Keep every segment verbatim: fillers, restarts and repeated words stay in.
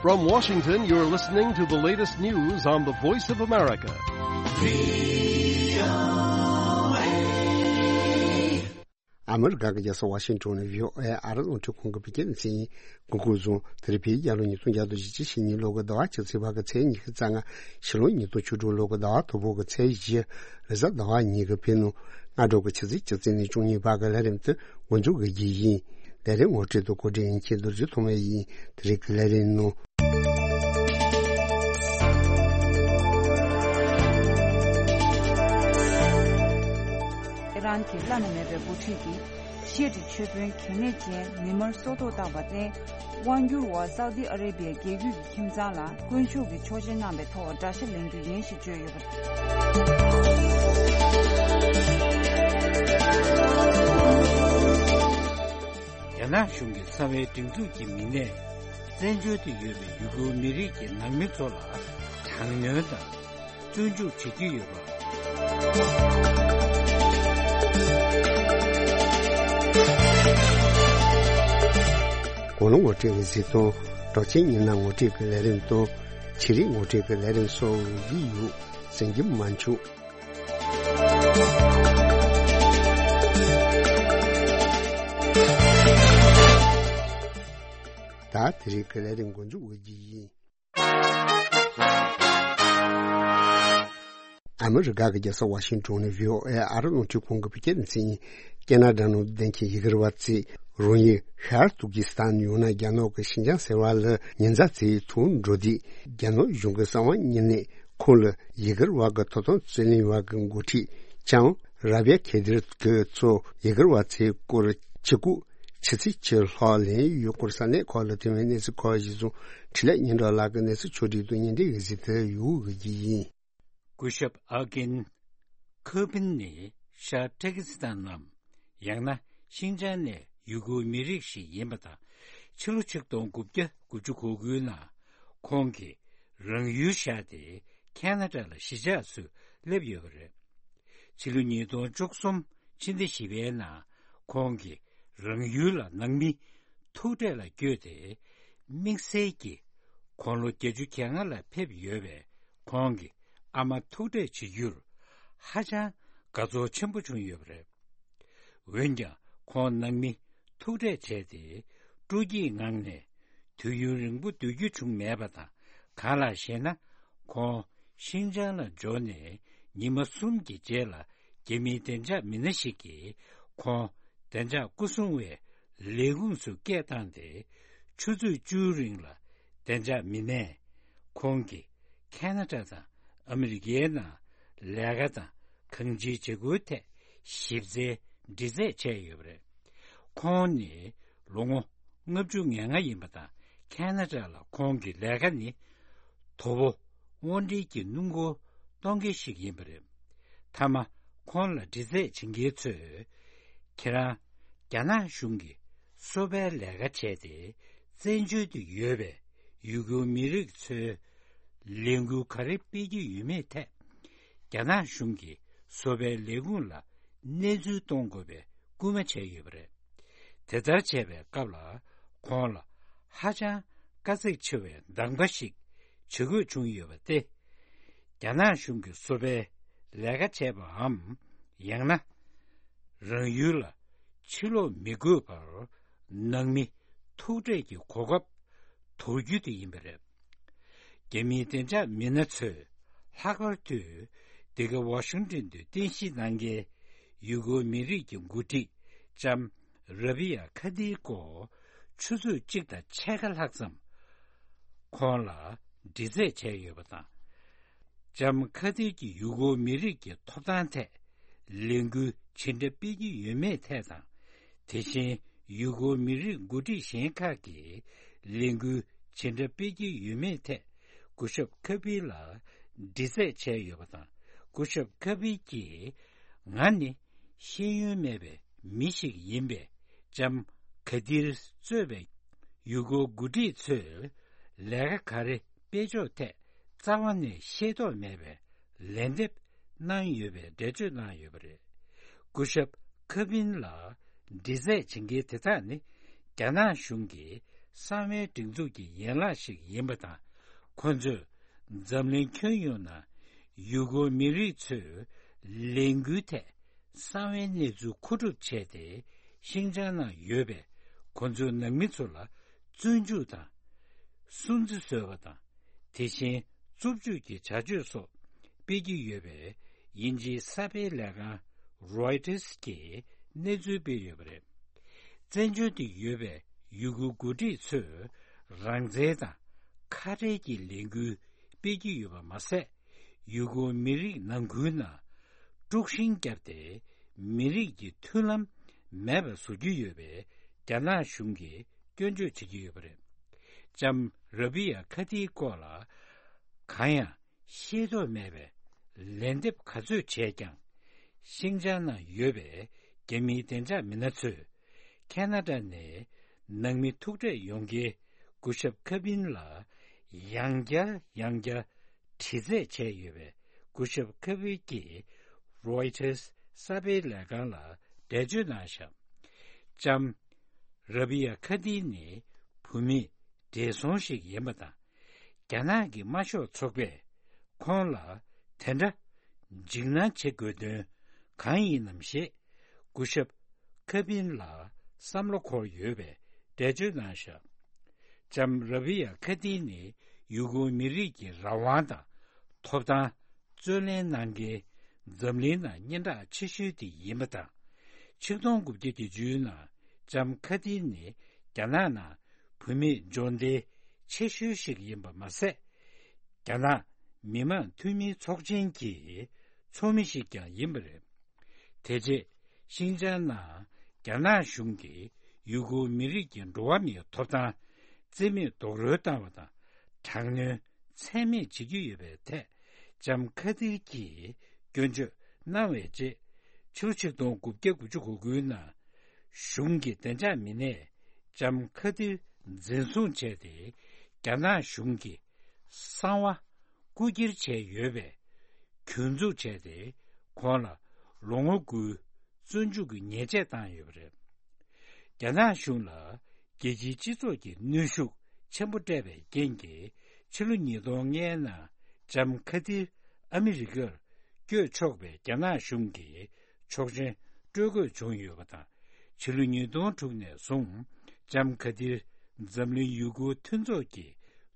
From Washington, you're listening to the latest news on the Voice of America. ཨ་མི་རི་ཀ་གི་རྒྱལ་ས་ཝ་ཤིང་ཊོན་ནས་བྷི་ཨོ་ཨེ་ཨ་རི་རླུང་འཕྲིན་ཁང་གི་བོད་སྐད་སྡེ་ཚན་ཡིན། འགོ་འགོ་བཟུང་དེ་རིང་བོད་རྒྱལ་ལོ་ཉིས་སྟོང་བརྒྱ་དང་བཞི་བཅུ་ཞེ་གཉིས་ལོ་གི་ཟླ་བ་བཅུ་ཚེས་པ་གི་ཚེས་ཉི་ཤུ་རྩ་ལྔ། ཕྱི་ལོ་ཉིས་སྟོང་བཅུ་དྲུག་ལོ་གི་ཟླ་བ་དང་པོ་གི་ཚེས་བཞི། རེས་གཟའ་ཟླ་བ་ཉིན་གྱི་བོད་ནང་སྔ་དྲོ་གི་ཆུ་ཚོད་བཅུ་གཅིག་ནས་བཅུ་གཉིས་བར་གྱི་ལས་རིམ་དེ་འགོ་འཛུགས་ཀྱི་ཡིན། ལས་རིམ་ངོ་སྤྲོད་དང་གོ་སྒྲིག་ཡིན་མཁན་རྡོ་རྗེ་ཐོགས་མེད་ཡིན། དེ་རིང་གི་ལས་རིམ་ནང་། ཨི་རན་གྱི་བླ་ན་མེད་པའི་འགོ་ཁྲིད་ཀྱིས་ཤི་ཡ་ཏི་ཆོས་དཔོན་གལ་གནད་ཅན་མི་མར་སྲོག་ཐོག་བཏང་བར་བརྟེན། དབང་སྒྱུར་བ་སའུ་ཏི་ཨ་རེ་བྷི་ཡ་རྒྱལ་རྒྱུད་ཀྱི་ཁྱིམ་ཚང་ལ་དཀོན་མཆོག་གི་ཆོག་མཆན་གནང་བའི་ཐོག་དགྲ་ཤ་ལེན་རྒྱུ་ཡིན་ཞེས་བརྗོད་ཡོད་པ་རེད། རྒྱ་ནག་གཞུང་གི་གསང་བའི་སྒྲིག་འཛུགས་ཀྱི་མི་སྣས་བཙན་བྱོལ་དུ་ཡོད་པའི་ཡུ་གུར་མི་རིགས་ཀྱི་ནང་མི་ཚོ་ལ་དྲག་གནོན་དང་། བཙོན་འཇུག་བྱེད་ཀྱི་ཡོད་པ། གོ་ལ་ངོ་སྤྲོད་ཀྱི་གཟིགས་སྟངས། གྲགས་ཅན་སྙན་ངག་ངོ་སྤྲོད་ཀྱི་ལས་རིམ་དང་། ཆོས་རིག་ངོ་སྤྲོད་ཀྱི་ལས་རིམ་སོགས་ཀྱི་ཡུལ་ཟིན་གྱི་མ་བྱུང་། ད་དེ་རིང་གི་ལས་རིམ་འགོ་འཛུགས་འོས་ཀྱི་ཡིན། ཨ་མི་རི་ཀ་གི་རྒྱལ་ས་ཝ་ཤིང་ཊོན་ནས་བྷི་ཨོ་ཨེ་ཨ་རི་རླུང་འཕྲིན་ཁང་གི་བོད་སྐད་སྡེ་ཚན་ཡིན། ཁེ་ན་ཌ་ནང་བསྡད་མཁན་ཡུ་གུར་བ་ཚོས་རང་ཡུལ་ཤར་ཏུར་ཀི་སི་ཐན་ཡང་ན་རྒྱ་ནག་གི་ཤིན་ཅང་ཟེར་བ་ལ་ཉེ་མཚམས་ཚེས་དྲུག་འགྲོ་དུས། རྒྱ་ནག་གཞུང་གི་གསང་བ་དངོས་གནས་ཁོང་ལ་ཡུ་གུར་བ་གི་ཐོབ་ཐང་རྩོད་ལེན་པ་གི་འགོ་ཁྲིད་ལྕམ་ར་བྷི་ཡ་ཁེ་དིར་གྱིས་ཚོ་ཡུ་གུར་བ་ཚོའི་སྐོར་ཕྱི་གོ་ཕྱི་ཚེས་བཅུ་ལྷག་ལེན་ཡོད་སྐོར་ས་གནས་ཁག་ལ་ཐོན་པའི་གནས་ཚུལ་ཁག་གཞིར་བཟུང་འཕྲིན་ལས་སྙན་གྲགས་ལགས་ཀྱིས་གནས་ཚུལ་ཕྱོགས་སྒྲིག་དང་སྙན་སྒྲོན་གྱི་གཟིགས་ཏེ་ཡོང་གི་ཡིན། སྐུ་ཞབས་ཨ་ཀིན་ཁོ་པིན་ནི་ཤར་ཏུར་ཀི་སི་ཐན་ནམ་ཡང་ན་ཤིན་ཅང་ནས་ཡུ་གུར་མི་རིགས་ཤིག་ཡིན་པ་དང་། ཕྱི་ལོ་ཆིག་སྟོང་དགུ་བརྒྱ་དགུ་བཅུ་གོ་དགུའི་ནང་ཁོང་གིས་རང་ཡུལ་བཞག་སྟེ་ཁེ་ན་ཌ་ལ་གཞིས་ཆགས་སུ་སླེབས་ཡོད་པ་རེད། ཕྱི་ལོ་ཉིས་སྟོང་བཅུ་གསུམ་ཕྱི་ཟླ་བཞི་པའི་ནང་ཁོང་གིས་རང་ཡུལ་ལ་ནང་མི་ཐུག་འཕྲད་ལ་བསྐྱོད་དེ། དམིགས་བསལ་གྱིས་དགུང་ལོ་བརྒྱད་ཅུ་གྱ་ལྔ་ལ་ཕེབས་ཡོད་པའི་ཁོང་གི་ཨ་མ་ཐུག་འཕྲད་བྱེད་རྒྱུར་ཧ་ཅང་དགའ་ཚོར་ཆེན་པོ་བྱུང་ཡོད་པ་རེད། འོན་ཀྱང་ཁོང་ནང་མི་ཐུག་འཕྲད་བྱས་ཏེ་སྤྲོ་སྐྱིད་ངང་ནས་དུས་ཡུན་རིང་པོ་སྡོད་རྒྱུ་བྱུང་མེད་པ་དང་། གང་ལགས་ཤེ་ན། ཁོང་ཤིན་ཅང་ལ་འབྱོར་ནས་ཉི་མ་གསུམ་གྱི་རྗེས་ལ་རྒྱ་མིའི་བདེ་འཇགས་མི་སྣ་ཞིག་གིས་ཁོང་བདེ་འཇགས་སྐུ་སྲུང་བའི་ལས་ཁུངས་སུ་སྐད་བཏང་སྟེ། ཆུ་ཚོད་བཅུའི་རིང་ལ་བདེ་འཇགས་མི་སྣས་ཁོང་གིས་ཁེ་ན་ཌ་དང་ཨ་མི་རི་ཀའི་ནང་ལས་ཀ་དང་གང་ཅིའི་བྱེད་སྒོའི་ཐད་ཞིབ་འཚོལ་འདྲི་རྩད་བྱས་ཡོད་པ་རེད། ཁོང་ནི་ལོ་ངོ་ལྔ་བཅུ་ང་ལྔ་ཡིན་པ་དང་། ཁེ་ན་ཌ་ལ་ཁོང་གི་ལས་ཀ་ནི་དོ་པོ་དབང་སྒྲིལ་གྱི་སྣུམ་འཁོར་གཏོང་མཁན་ཞིག་ཡིན་པ་རེད། མཐའ་མ་ཁོང་ལ་འདྲི་རྩད་བྱེད་མཁན་ཚོས། ཁྱེད་རང་རྒྱ་ནག་གཞུང་གི་སོ་པའི་ལས་ཀ་བྱས་ཏེ་བཙན་བྱོལ་དུ་ཡོད་པའི་ཡུ་གུར་མི་རིགས་ཚོའི་ལས་འགུལ་ག་རེ་སྤེལ་གྱི་ཡོད་མེད་ཐད། རྒྱ་ནག་གཞུང་གི་སོ་པའི་ལས་ཁུངས་ལ་གནས་ཚུལ་གཏོང་དགོས་པའི་སྐུལ་མ་བྱས་ཡོད་པ་རེད། དེ་ལྟར་བྱས་པའི་སྐབས་ལ་ཁོང་ལ་ཧ་ཅང་དཀའ་ཚེགས་ཆེ་བའི་འདང་པ་ཞིག་བྱེད་དགོས་བྱུང་ཡོད་པ་སྟེ། རྒྱ་ནག་གཞུང་གི་སོ་པའི་ལས་ཀ་བྱས་པའམ། ཡང་ན་རང་ཡུལ་ལ་ཕྱིར་ལོག་མི་དགོས་པར་ནང་མི་ཐུག་འཕྲད་ཀྱི་གོ་སྐབས་དོར་རྒྱུ་དེ་ཡིན་པ་རེད། རྒྱ་མིའི་བདེ་འཇགས་མི་སྣ་ཚོས་ལྷག་པར་དུ་འདི་ག་ཝ་ཤིང་ཊོན་དུ་རྟེན་གཞི་གནང་མཁན་ཡུ་གུར་མི་རིགས་ཀྱི་འགོ་ཁྲིད་ལྕམ་ར་བྷི་ཡ་ཁ་དིར་སྐོར་ཆུ་ཚོད་གཅིག་དང་ཕྱེད་ཀ་ལྷག་ཙམ་ཁོང་ལ་འདྲི་རྩད་བྱས་ཡོད་པ་དང་། ལྕམ་ཁ་དིར་གྱིས་ཡུ་གུར་མི་རིགས་ཀྱི་ཐོབ་ཐང་ཐད་ལས་འགུལ་ཇི་འདྲ་སྤེལ་གྱི་ཡོད་མེད་ཐད་དང་། དེ་བཞིན་ཡུ་གུར་མི་རིགས་འགོ་ཁྲིད་གཞན་ཁག་གིས་ལས་འགུལ་ཇི་འདྲ་སྤེལ་གྱི་ཡོད་མེད་ཐད་སྐུ་ཞབས་ཁ་པིར་ལ་འདྲི་རྩད་བྱས་ཡོད་པ་དང་། སྐུ་ཞབས་ཁ་པིར་གྱིས། ང་ནི་ཤེས་ཡོན་མེད་པའི་མི་ཞིག་ཡིན་པས། ལྕམ་ཁ་དིར་གཙོས་པའི་ཡུ་གུར་འགོ་ཁྲིད་ཚོས་ལས་ཀ་ག་རེ་སྤེལ་ཕྱོགས་ཐད་རྩ་བ་ནས་ཤེས་རྟོགས་མེད་པའི་ལན་འདེབས་གནང་ཡོད་པའི་འགྲེལ་བརྗོད་གནང་ཡོད་པ་རེད། སྐུ་ཞབས་ཁ་པིར་ལ་འདྲི་རྩད་བྱེད་མཁན་དེ་དག་ནི་རྒྱ་ནག་གཞུང་གིས་ གསང་བའི་སྒྲིག་འཛུགས་ཀྱི་ཡན་ལག་ཞིག་ཡིན་པ་དང་། ཁོ་ཚོས་འཛམ་གླིང་ཁྱོན་ཡོངས་ནང་ཡུ་གུར་མི་རིགས་ཚོའི་ལས་འགུལ་ཐད་གསང་བའི་གནས་ཚུལ་མཁོ་སྒྲུབ་བྱས་ཏེ། ཤིང་ཅང་ནང་ཡོད་པའི་ཁོ་ཚོའི་ནང་མི་ཚོ་ལ་བཙོན་འཇུག་དང་། སྲུང་བརྩི་བཟོས་པ་དང་། དེ་བཞིན་རྩུབ་སྤྱོད་ཀྱི་བྱ་སྤྱོད་སོགས་སྤེལ་གྱི་ཡོད་པའི་དབྱིན་ཇིའི་གསར་སྤེལ་ལས་ཁང་Reuters་གིས་གནས་ཚུལ་སྤེལ་ཡོད་པ་རེད། བཙན་བྱོལ་དུ་ཡོད་པའི་ཡུ་གུར་འགོ་ཁྲིད་ཚོས་རང་བཙན་དང་ཁ་བྲལ་གྱི་ལས་འགུལ་སྤེལ་གྱི་ཡོད་པ་མ་ཟད། ཡུ་གུར་མི་རིགས་ནང་ཁུལ་ནང་དཀྲུག་ཤིང་བརྒྱབ་སྟེ། མི་རིགས་ཀྱི་མཐུན་ལམ་མེད་པར་བཟོ་རྒྱུ་ཡོད་པའི་རྒྱ་ནག་གཞུང་གིས་སྐྱོན་བརྗོད་བྱེད་ཀྱི་ཡོད་པ་རེད། ལྕམ་ར་བི་ཡ་ཁ་ཏིའི་སྐོར་ལ་གང་ཡང་ཤེས་རྟོགས་མེད་པའི་ལན་འདེབས་ག་ཚོད་བྱས་ཀྱང་། ཤིང་ཅང་ནང་ཡོད་པའི་རྒྱ་མིའི་བདེ་འཇགས་མི་སྣ་ཚོས་ཁ་ན་ཌ་ནས་ནང་མི་ཐུག་འཕྲད་ཡོང་མཁན་སྐུ་ཞབས་ཁ་པིན་ལ་ཡང་བསྐྱར་ཡང་བསྐྱར་དྲི་རྩད་བྱས་ཡོད་པས། སྐུ་ཞབས་ཁ་པིན་གྱིས་Reuters་གསར་སྤེལ་ལས་ཁང་ལ་འགྲེལ་བརྗོད་གནང་བཞག་ལྕམ་ར་བི་ཡ་ཁ་ཏི་ནི་བུད་མེད་བགྲེས་སོང་ཞིག་ཡིན་པ་དང་། རྒྱ་ནག་གི་དམར་ཤོག་ཚོགས་པས་ཁོང་ལ་དེ་འདྲ་འཇིགས་སྣང་བྱེད་དགོས་དོན་གང་ཡིན་ནམ་ཞེས་སྐུ་ཞབས་ཁ་པིན་ལ་བསམ་བློ་འཁོར་ཡོད་པའི་འགྲེལ་བརྗོད་གནང་བཞག་ལྕམ་ར་བི་ཡ་ཁ་ཏི་ནི་ཡུ་གུར་མི་རིགས་ཀྱི་རང་དབང་དང་ཐོབ་ཐང་རྩོད་ལེན་གནང་མཁན་འཛམ་གླིང་ནང་སྙན་གྲགས་ཆེ་ཤོས་དེ་ཡིན་པ་དང་། ཆིག་སྟོང་དགུ་བརྒྱ་བརྒྱད་ཅུ་ནང་ལྕམ་ཁ་ཏི་ནི་རྒྱ་ནག་ནང་བུད་མེད་འབྱོར་ལྡན་ཆེ་ཤོས་ཤིག་ཡིན་པ་མ་ཟད། རྒྱ་ནག་མི་དམངས་འཐུས་མིའི་ཚོགས་ཆེན་གྱི་ཚོགས་མི་ཞིག་ཀྱང་ཡིན་པ་རེད། དེ་རྗེས་ཤིང་ཅང་ནང་རྒྱ་ནག་གཞུང་གིས་ཡུ་གུར་མི་རིགས་ཀྱི་འགྲོ་བ་མིའི་ཐོབ་ཐང་རྩིས་མེད་རྡོག་རོལ་བཏང་བ་དང་། དྲག་གནོན་ཚད་མེད་བྱེད་ཀྱི་ཡོད་པའི་ཐད་ལྕམ་ཁ་ཏིར་གྱིས་སྐྱོན་བརྗོད་གནང་བའི་རྗེས། ཕྱི་ལོ་ཆིག་སྟོང་དགུ་བརྒྱ་དགུ་བཅུ་གོ་དགུའི་ནང་གཞུང་གི་བདེ་འཇགས་མི་སྣས་ལྕམ་ཁ་ཏིར་འཛིན་བཟུང་བྱས་ཏེ། རྒྱ་ནག་གཞུང་གི་གསང་བ་རྐུ་འཁྱེར་བྱས་ཡོད་པའི་གྱོད་འཛུགས་བྱས་ཏེ། ཁོང་ལ་ལོ་ངོ་དགུའི་བཙོན་འཇུག་གི་ཉེས་ཆད་བཏང་ཡོད་པ་རེད། རྒྱ་ནག་གཞུང་ལ་རྒྱལ་སྤྱིའི་སྤྱི་ཚོགས་ཀྱི་གནོན་ཤུགས་ཆེན་པོ་སྤྲད་པའི་རྐྱེན་གྱིས། ཕྱི་ལོ་ཉིས་སྟོང་ལྔའི་ནང་ལྕམ་ཁ་ཏིར་ཨ་མི་རི་ཀར་བསྐྱོད་ཆོག་པའི་རྒྱ་ནག་གཞུང་གི་ཆོག་མཆན་སྤྲོད་དགོས་བྱུང་ཡོད་པ་དང་། ཕྱི་ལོ་ཉིས་སྟོང་དྲུག་ནས་བཟུང་ལྕམ་ཁ་ཏིར་འཛམ་གླིང་ཡུ་གུར་མཐུན་ཚོགས་ཀྱི་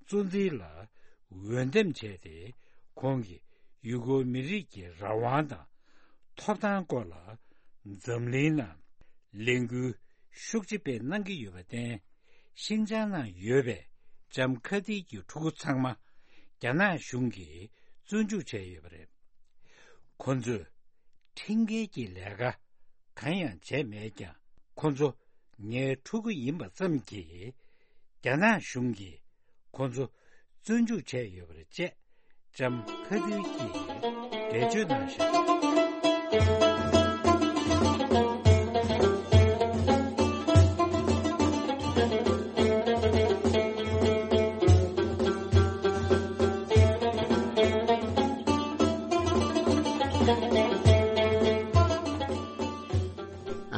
གཙོ་འཛིན་ལ་འོས་འདེམས་བྱས་ཏེ། ཁོང་གིས་ཡུ་གུར་མི་རིགས་ཀྱི་རང་དབང་དང་ཐོབ་ཐང་སྐོར་ལ་འཛམ་གླིང་ནང་ལས་འགུལ་ཤུགས་ཆེ་སྤེལ་གནང་གི་ཡོད་པར་བརྟེན། ཤིན་ཅང་ནང་ཡོད་པའི་ལྕམ་ཁ་ཏིར་གྱི་ཕྲུ་གུ་ཚང་མ་རྒྱ་ནག་གཞུང་གིས་བཙོན་འཇུག་བྱས་ཡོད་པ་རེད། ཁོ་ཚོས་ཁྲིམས་འགལ་གྱི་ལས་ཀ་གང་ཡང་བྱས་མེད་ཀྱང་། ཁོ་ཚོ་ངའི་ཕྲུ་གུ་ཡིན་པ་ཙམ་གྱིས་རྒྱ་ནག་གཞུང་གིས་ཁོ་ཚོ་བཙོན་འཇུག་བྱས་ཡོད་པ་རེད་ཅེས་ལྕམ་ཁ་ཏིར་གྱིས་འགྲེལ་བརྗོད་གནང་བཞག་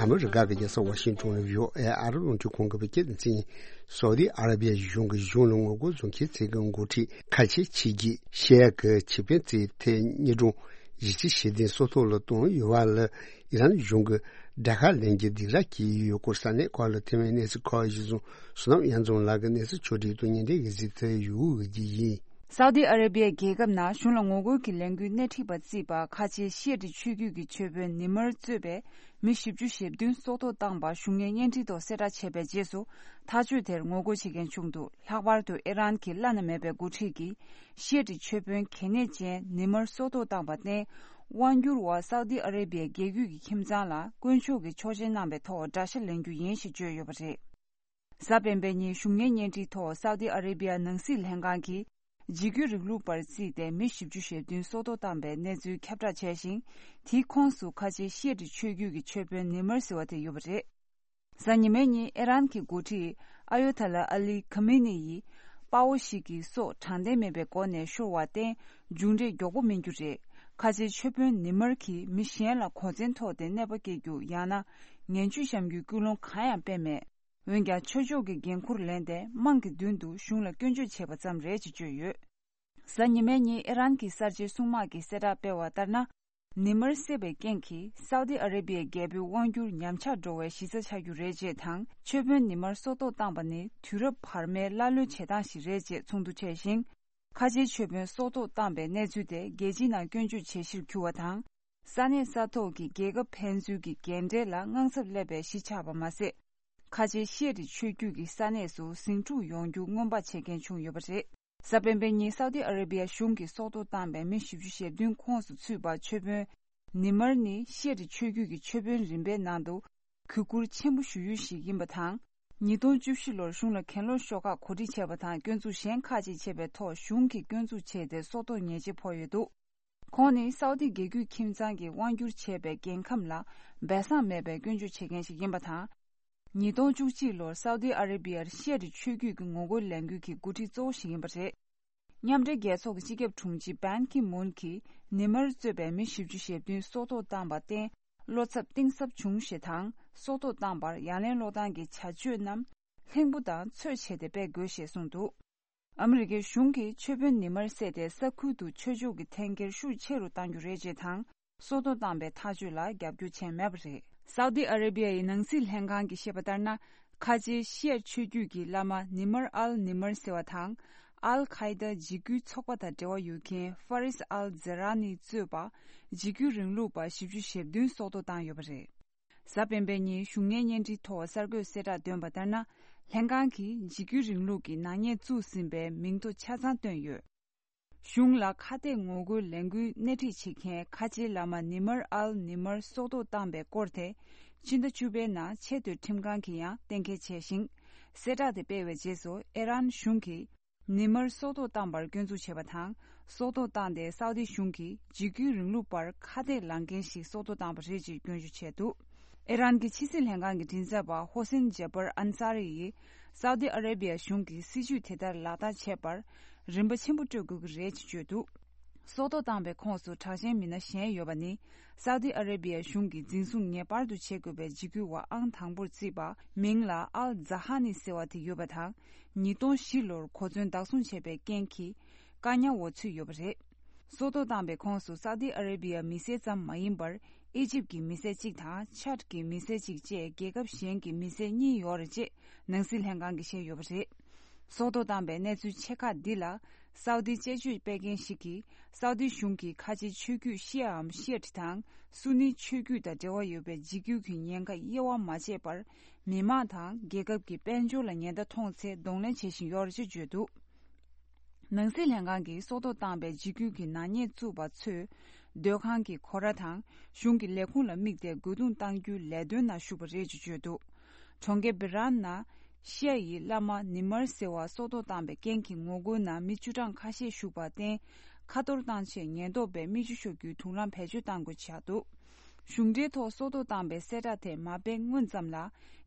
ཨ་མི་རི་ཀ་གི་རྒྱལ་ས་ཝ་ཤིང་ཏོན་ལ་ཡོད་ཨེ་ཨ་རི་རླུང་འཕྲིན་ཁང་གི་བོད་སྐད་སྡེ་ཚན། སའུ་དི་ཨ་ར་བི་ཡ་གཞུང་གི་གཞུང་ལ་ངོ་རྒོལ་བཟོ་མཁན་ཚོ་གི་འགོ་ཁྲིད་ཁ་ཆེ་ཕྱི་རྒྱལ་ཤེས་ཡ་གི་ཆེད་ཕན་ཚོའི་ཐད་དངོས་སྒྲུང་གཞིས་བྱེས་ཞི་བདེའི་སྲོག་ཐོག་ལ་བཏང་ཡོད་པ་ལ་ཨི་རན་གཞུང་གི་དགྲ་ཁ་ལེན་གྱི་སྡིགས་ར་བསྐྱེད་ཡོད་སྐོར་ས་གནས་ཁག་ལ་ཐོན་པའི་གནས་ཚུལ་ཁག་གཞིར་བཟུང་བསོད་ནམས་དབྱངས་འཛོམས་ལགས་ཀྱིས་གནས་ཚུལ་ཕྱོགས་སྒྲིག་དང་སྙན་འགྲེལ་གྱི་གཟིགས་ཚུལ་ཡོད་ཀྱི་ཡིན། སའུ་དི་ཨ་ར་བི་ཡའི་རྒྱལ་ཁབ་ནང་གཞུང་ལ་ངོ་རྒོལ་གྱི་ལས་འགུལ་སྣེ་ཁྲིད་པར་བརྩིས་པ་ཁ་ཆེ་ཤི་ཡ་ཏི་ཆོས་བརྒྱུད་ཀྱི་ཆོས་དཔོན་ནི་མར་གཙོས་པའི་མི་བཞི་བཅུ་ཞེ་བདུན་སྲོག་ཐོག་བཏང་པ་གཞུང་གཉེར་བརྙན་འཕྲིན་ཐོག་གསལ་བསྒྲགས་བྱས་པའི་རྗེས་སུ། ཐག་གཅོད་དེར་ངོ་རྒོལ་བྱེད་མཁན་བྱུང་འདུག་ལྷག་པར་དུ་ཨི་རན་གྱི་བླ་ན་མེད་པའི་འགོ་ཁྲིད་ཀྱིས་ཤི་ཡ་ཏི་ཆོས་དཔོན་གལ་གནད་ཅན་ནི་མར་སྲོག་ཐོག་བཏང་པར་བརྟེན། དབང་སྒྱུར་བ་སའུ་དི་ཨ་ར་བི་ཡའི་རྒྱལ་བརྒྱུད་ཀྱི་ཁྱིམ་ཚང་ལ་དཀོན་མཆོག་གི་ཆོག་མཆན་གནང་བའི་ཐོག་དགྲ་ཤ་ལེན་རྒྱུ་ཡིན་ཞེས་བརྗོད་ཡོད་པ་རེད། གཟའ་སྤེན་པའི་ཉིན་གཞུང་གཉེར་བརྙན་འཕྲིན་ཐོག་སའུ་དི་ཨ་ར་བི་ཡ་ནང་སྲིད་ལྷན་ཁང་གིས། འཇིགས་སྐུལ་རིང་ལུགས་པར་བརྩིས་ཏེ་མི་བཞི་བཅུ་ཞེ་བདུན་སྲོག་ཐོག་བཏང་པའི་གནས་ཚུལ་ཁྱབ་བསྒྲགས་བྱས་ཤིང་། དེའི་ཁོངས་སུ་ཁ་ཆེ་ཤི་ཡ་ཏི་ཆོས་བརྒྱུད་ཀྱི་ཆོས་དཔོན་ནི་མར་ཟེར་བ་དེ་ཡོད་པ་རེད། གཟའ་ཉི་མའི་ཉིན་ཨི་རན་གྱི་འགོ་ཁྲིད་ཨ་ཡོ་ཐ་ལ་ཨ་ལི་ཁ་མི་ནི་ཡིས་དཔའ་བོ་ཞིག་གི་སྲོག་དྲང་བདེན་མེད་པའི་སྒོ་ནས་ཤོར་བར་བརྟེན་མཇུག་འབྲས་མགྱོགས་པོ་སྨིན་རྒྱུ་རེད། ཁ་ཆེ་ཆོས་དཔོན་ནི་མར་གྱིས་མི་གཞན་ལ་གོ་མཚོན་ཐོགས་ཏེ་གནོད་པ་སྐྱེལ་རྒྱུ་ཡང་ན་ངན་ཇུས་བཤམས་རྒྱུའི་སྐུལ་སློང་གང་ཡང་སྤེལ་མེད། འོན་ཀྱང་ཆོས་ཕྱོགས་ཀྱི་འགན་འཁུར་ལེན་ཏེ་དམངས་ཀྱི་མདུན་དུ་གཞུང་ལ་སྐྱོན་བརྗོད་བྱས་པ་ཙམ་རེད་ཅེས་བརྗོད་ཡོད། གཟའ་ཉི་མའི་ཉིན་ཨི་རན་གྱི་གསར་བརྗེའི་སྲུང་དམག་གིས་གསལ་བསྒྲགས་སྤེལ་བ་ལྟར་ན། ནི་མར་བསད་པའི་རྐྱེན་གྱིས་སའུ་ཏི་ཨ་རེ་བྷི་ཡའི་རྒྱལ་པོའི་དབང་སྒྱུར་ཉམས་ཆག་འགྲོ་བའི་གཞི་རྩ་ཆགས་རྒྱུ་རེད་ཅེས་དང་། ཆོས་དཔོན་ནི་མར་སྲོག་ཐོག་བཏང་པ་ནི་དུས་རབས་བར་མའི་ཀླ་ཀློའི་བྱེད་སྟངས་ཤིག་རེད་ཅེས་ཚོགས་འདུ་ཆད་ཤིང་། ཁ་ཆེའི་ཆོས་དཔོན་སྲོག་ཐོག་བཏང་པའི་གནས་ཚུལ་དེ་རྒྱལ་སྤྱིའི་ནང་སྐྱོན་བརྗོད་བྱེད་གཞིར་གྱུར་བ་དང་། ས་གནས་ས་ཐོག་གི་རྒྱལ་ཁབ་ཕན་ཚུན་གྱི་འགན་འབྲེལ་ལ་དངངས་འཚབ་སླེབས་པའི་གཞི་ཆགས་པ་མ་ཟད། ཁ་ཆེའི་ཤི་ཡ་ཏི་ཆོས་བརྒྱུད་ཀྱི་ས་གནས་སུ་ཟིང་འཁྲུག་ཡོང་རྒྱུ་སྔོན་དཔག་བྱེད་མཁན་བྱུང་ཡོད་པ་རེད། གཟའ་སྤེན་པའི་ཉིན་སའུ་ཏི་ཨ་རེ་བྷི་ཡ་གཞུང་གིས་སྲོག་ཐོག་བཏང་པའི་མི་བཞི་བཅུ་ཞེ་བདུན་ཁོངས་སུ་ཚུད་པ་ཆོས་དཔོན་ནི་མར་ནི་ཤི་ཡ་ཏི་ཆོས་བརྒྱུད་ཀྱི་ཆོས་དཔོན་རིམ་པའི་ནང་དུ་གུས་བཀུར་ཆེན་པོ་ཞུ་ཡུལ་ཞིག་ཡིན་པ་དང་། ཉིས་སྟོང་བཅུ་བཞི་ལོར་གཞུང་ལ་གྱེན་ལོག་ཤོག་ཁག་གོ་སྒྲིག་བྱས་པ་དང་། སྐྱོན་འཛུགས་གཞན་ཁག་ཅིག་བྱས་པའི་ཐོག་གཞུང་གིས་སྐྱོན་འཛུགས་བྱས་ཏེ་སྲོག་ཐོག་ཉེས་ཆད་ཕོག་ཡོད་འདུག་ཁོང་ནི་སའུ་ཏི་རྒྱལ་བརྒྱུད་ཁྱིམ་ཚང་གིས་དབང་བསྒྱུར་བྱས་པའི་རྒྱལ་ཁམས་ལ་སྦས་གསང་མེད་པའི་སྐྱོན་བརྗོད་བྱེད་མཁན་ཞིག་ཡིན་པ་དང་། ཉིས་སྟོང་བཅུ་གཅིག་ལོར་སའུ་ཏི་ཨ་རེ་བྷི་ཡར་ཤི་ཡ་ཏི་ཆོས་བརྒྱུད་ཀྱི་ངོ་རྒོལ་ལས་འགུལ་གྱི་འགོ་ཁྲིད་གཙོ་བོ་ཞིག་ཡིན་པ་རེད། མཉམ་འབྲེལ་རྒྱལ་ཚོགས་ཀྱི་སྤྱི་ཁྱབ་དྲུང་ཆེ་བན་ཁི་མུན་གྱིས་ནི་མར་གཙོས་པའི་མི་བཞི་བཅུ་ཞེ་བདུན་སྲོག་ཐོག་བཏང་པར་བརྟེན། བློ་འཚབ་གཏིང་ཟབ་བྱུང་ཞེས་དང་། སྲོག་ཐོག་བཏང་པར་ཡ་ལན་སློག་སྟངས་ཀྱི་བྱ་སྤྱོད་རྣམས་ལྷུན་པོ་དང་ཚོད་བྱས་ཏེ་སྤེལ་དགོས་ཞེས་གསུངས་འདུག་ཨ་མི་རི་ཀའི་གཞུང་གིས་ཆོས་དཔོན་ནི་མར་བསད་དེ་ས་ཁུལ་དུ་ཆོས་ཕྱོགས་ཀྱི་འཐེན་འཁྱེར་ཤུགས་ཆེ་རུ་གཏང་རྒྱུ་རེད་ཅེས་དང་། སྲོག་ཐོག་བཏང་པའི་ཐག་གཅོད་ལ་རྒྱབ་སྐྱོར་བྱས་མེད་པ་རེད། སའུ་ཏི་ཨ་རེ་བྷི་ཡའི་ནང་སྲིད་ལྷན་ཁང་གིས་བཤད་པ་ལྟར་ན། ཁ་ཆེའི་ཤི་ཡ་ཆོས་བརྒྱུད་ཀྱི་བླ་མ་ནི་མར་ཨལ་ནི་མར་ཟེར་བ་དང་། ཨལ་ཁ་ཡི་ད་འཇིགས་སྐུལ་ཚོགས་པ་དང་འབྲེལ་བ་ཡོད་མཁན་ཧྥ་རིས་ཨལ་ཛེ་ར་ནི་གཙོས་པ་འཇིགས་སྐུལ་རིང་ལུགས་པ་བཞི་བཅུ་ཞེ་བདུན་སྲོག་ཐོག་བཏང་ཡོད་པ་རེད། གཟའ་སྤེན་པའི་ཉིན་གཞུང་གཉེར་བརྙན་འཕྲིན་ཐོག་གསར་འགོད་གསལ་བསྒྲགས་བཏོན་པ་ལྟར་ན། ལྷན་ཁང་གིས་འཇིགས་སྐུལ་རིང་ལུགས་ཀྱི་ནག་ཉེས་བཙུགས་ཟིན་པའི་མིང་ཐོ་ཆ་ཚང་བཏོན་ཡོད། གཞུང་ལ་ཁ་གཏད་ངོ་རྒོལ་ལས་འགུལ་སྣེ་ཁྲིད་བྱེད་མཁན་ཁ་ཆེའི་བླ་མ་ནི་མར་ཨལ་ནི་མར་སྲོག་ཐོག་བཏང་པའི་སྐོར་དེ། ཕྱི་ཟླ་བཅུ་པའི་ནང་ཆེས་མཐོའི་ཁྲིམས་ཁང་གིས་ཡང་གཏན་འཁེལ་བྱས་ཤིང་། གསལ་བསྒྲགས་དེ་སྤེལ་བའི་རྗེས་སུ་ཨི་རན་གཞུང་གིས་ནི་མར་སྲོག་ཐོག་བཏང་པར་སྐྱོན་འཛུགས་བྱས་པ་དང་། སྲོག་ཐོག་བཏང་སྟེ་སའུ་དི་གཞུང་གིས་འཇིགས་སྐུལ་རིང་ལུགས་པར་ཁ་གཏད་ལངས་མཁན་ཞིག་སྲོག་ཐོག་བཏང་པ་རེད་ཅེས་སྐྱོན་བརྗོད་བྱས་འདུག་ཨི་རན་གྱི་ཕྱི་སྲིད་ལྷན་ཁང་གི་མགྲིན་ཚབ་པ་ཧོ་སེན་ཇེ་པར་ཨན་ས་རི་ཡིས། སའུ་དི་ཨ་རེ་བྷི་ཡ་གཞུང་གིས་སྲིད་ཇུས་དེ་ལྟར་ལག་བསྟར་བྱས་པར། རིན་པ་ཆེན་པོ་སྤྲོད་དགོས་ཀྱི་རེད་ཅེས་བརྗོད་འདུག་སྲོག་ཐོག་བཏང་པའི་ཁོངས་སུ་དྲག་ཞན་མི་སྣ་གཞན་ཡོད་པ་ནི། སའུ་དི་ཨ་རེ་བྷི་ཡ་གཞུང་གིས་འཛིན་བཟུང་ངེས་པར་དུ་བྱེད་དགོས་པའི་འཇིགས་སྐུལ་བ་ཨང་དང་པོར་བརྩིས་པ། མིང་ལ་ཨལ་ཛ་ཧ་ནི་ཟེར་བ་དེ་ཡོད་པ་དང་། ཉིས་སྟོང་བཞི་ལོར་གོ་མཚོན་བདག་བཟུང་བྱས་པའི་རྐྱེན་གྱིས། བཀག་ཉར་འོག་ཚུད་ཡོད་པ་རེད། སྲོག་ཐོག་བཏང་པའི་ཁོངས་སུ་སའུ་དི་ཨ་རེ་བྷི་ཡ་མི་སེར་ཙམ་མ་ཡིན་པར། ཨི་ཇིབ་ཀྱི་མི་སེར་གཅིག་དང་ཆད་ཀྱི་མི་སེར་གཅིག་བཅས་རྒྱལ་ཁབ་གཞན་གྱི་མི་སེར་གཉིས་ཡོད་རེད་ཅེས་ནང་སྲིད་ལྷན་ཁང་གིས་བཤད་ཡོད་པ་རེད། སྲོག་ཐོག་བཏང་པའི་གནས་ཚུལ་ཆེ་ཁག་འདི་ལ། སའུ་དི་དཔྱད་བརྗོད་སྤེལ་མཁན་ཞིག་གིས། སའུ་དི་གཞུང་གིས་ཁ་ཆེའི་ཆོས་བརྒྱུད་ཤི་ཡ་འམ་ཤི་ཡ་ཏི་དང་སུ་ནི་ཆོས་བརྒྱུད་དང་འབྲེལ་བ་ཡོད་པའི་འཇིགས་སྐུལ་གྱི་ཉེན་ཁ་དབྱེ་བ་མ་ཕྱེ་བར། མི་མང་དང་རྒྱལ་ཁབ་ཀྱི་དཔལ་འབྱོར་ལ་ཉེན་བརྡ་མཐོང་ཚེ་གདོང་ལེན་བྱེད་བཞིན་ཡོད་རེད་ཅེས་བརྗོད་འདུག་ནང་སྲིད་ལྷན་ཁང་གིས་སྲོག་ཐོག་བཏང་པའི་འཇིགས་སྐུལ་གྱི་ནག་ཉེས་བཙུགས་པ་ཚོས། སྡོད་ཁང་གི་སྒོ་ར་དང་གཞུང་གི་ལས་ཁུངས་ལ་དམིགས་ཏེ་རྒོལ་རྡུང་གཏང་རྒྱུའི་ལས་དོན་ནང་ཞུགས་པ་རེད་ཅེས་བརྗོད་འདུག་གྲོང་ཁྱེར་བི་རན་ན། ཤི་ཡ་ཡི་བླ་མ་ནི་མར་ཟེར་བ་སྲོག་ཐོག་བཏང་པའི་རྐྱེན་གྱིས་ངོ་རྒོལ་ནང་མི་བཅུ་གྲངས་ཁ་ཤས་ཞུགས་པར་བརྟེན། ཁ་གཏོར་བཏང་ཆེད་ཉེན་རྟོག་པས་མི་ཆུ་གཤོག་རྒྱུའི་དུག་རླངས་བེད་སྤྱོད་གཏང་དགོས་ཆགས་འདུག་གཞུང་འབྲེལ་ཐོག་སྲོག་ཐོག་བཏང་པའི་གསལ་བསྒྲགས་དེ་མ་སྤེལ་སྔོན་ཙམ་ལ།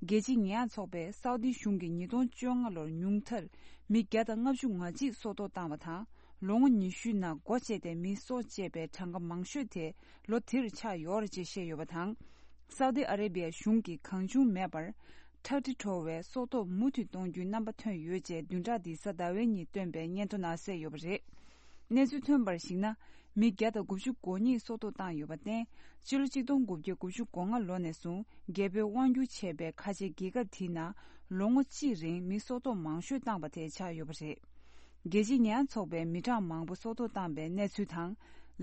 རྒྱལ་སྤྱིའི་ཉེས་ཡངས་ཚོགས་པས་སའུ་དི་གཞུང་གིས་ཉིས་སྟོང་བཅོ་ལྔ་ལོར་ཉུང་མཐར་མི་བརྒྱ་དང་ལྔ་བཅུ་ང་གཅིག་སྲོག་ཐོག་བཏང་བ་དང་། ལོ་ངོ་ཉི་ཤུའི་ནང་སྒོ་བཅད་དེ་མི་སྲོག་བཅད་པའི་གྲངས་ཀ་མང་ཤོས་དེ་ལོ་དེར་ཆགས་ཡོད་རེད་ཅེས་བཤད་ཡོད་པ་དང་། སའུ་དི་ཨ་རེ་བྷི་ཡ་གཞུང་གིས་གང་བྱུང་མེད་པར། ཁྲག་དྲི་བྲོ་བའི་སྲོག་ཐོག་མུ་མཐུད་གཏོང་རྒྱུའི་རྣམ་པ་ཐོན་ཡོད་ཅེས་བདུན་ཕྲག་འདིའི་གཟའ་ཟླ་བའི་ཉིན་བཏོན་པའི་སྙན་ཐོ་ནང་གསལ་ཡོད་པ་རེད། གནས་ཚུལ་ཐོན་པར་གཞིགས་ན། མི་བརྒྱ་དང་དགུ་བཅུ་གོ་གཉིས་སྲོག་ཐོག་བཏང་ཡོད་པར་བརྟེན། སྤྱི་ལོ་གཅིག་སྟོང་དགུ་བརྒྱ་དགུ་བཅུ་གོ་ལྔ་ལོ་ནས་བཟུང་རྒྱལ་པོའི་དབང་བསྒྱུར་བྱས་པའི་ཁ་ཆེའི་རྒྱལ་ཁབ་དེའི་ནང་ལོ་ངོ་གཅིག་རིང་མི་སྲོག་ཐོག་མང་ཤོས་བཏང་པ་དེ་ཆགས་ཡོད་པ་རེད། རྒྱལ་སྤྱིའི་ཉེས་ཡངས་ཚོགས་པས་མི་གྲངས་མང་པོ་སྲོག་ཐོག་བཏང་པའི་གནས་ཚུལ་དང་།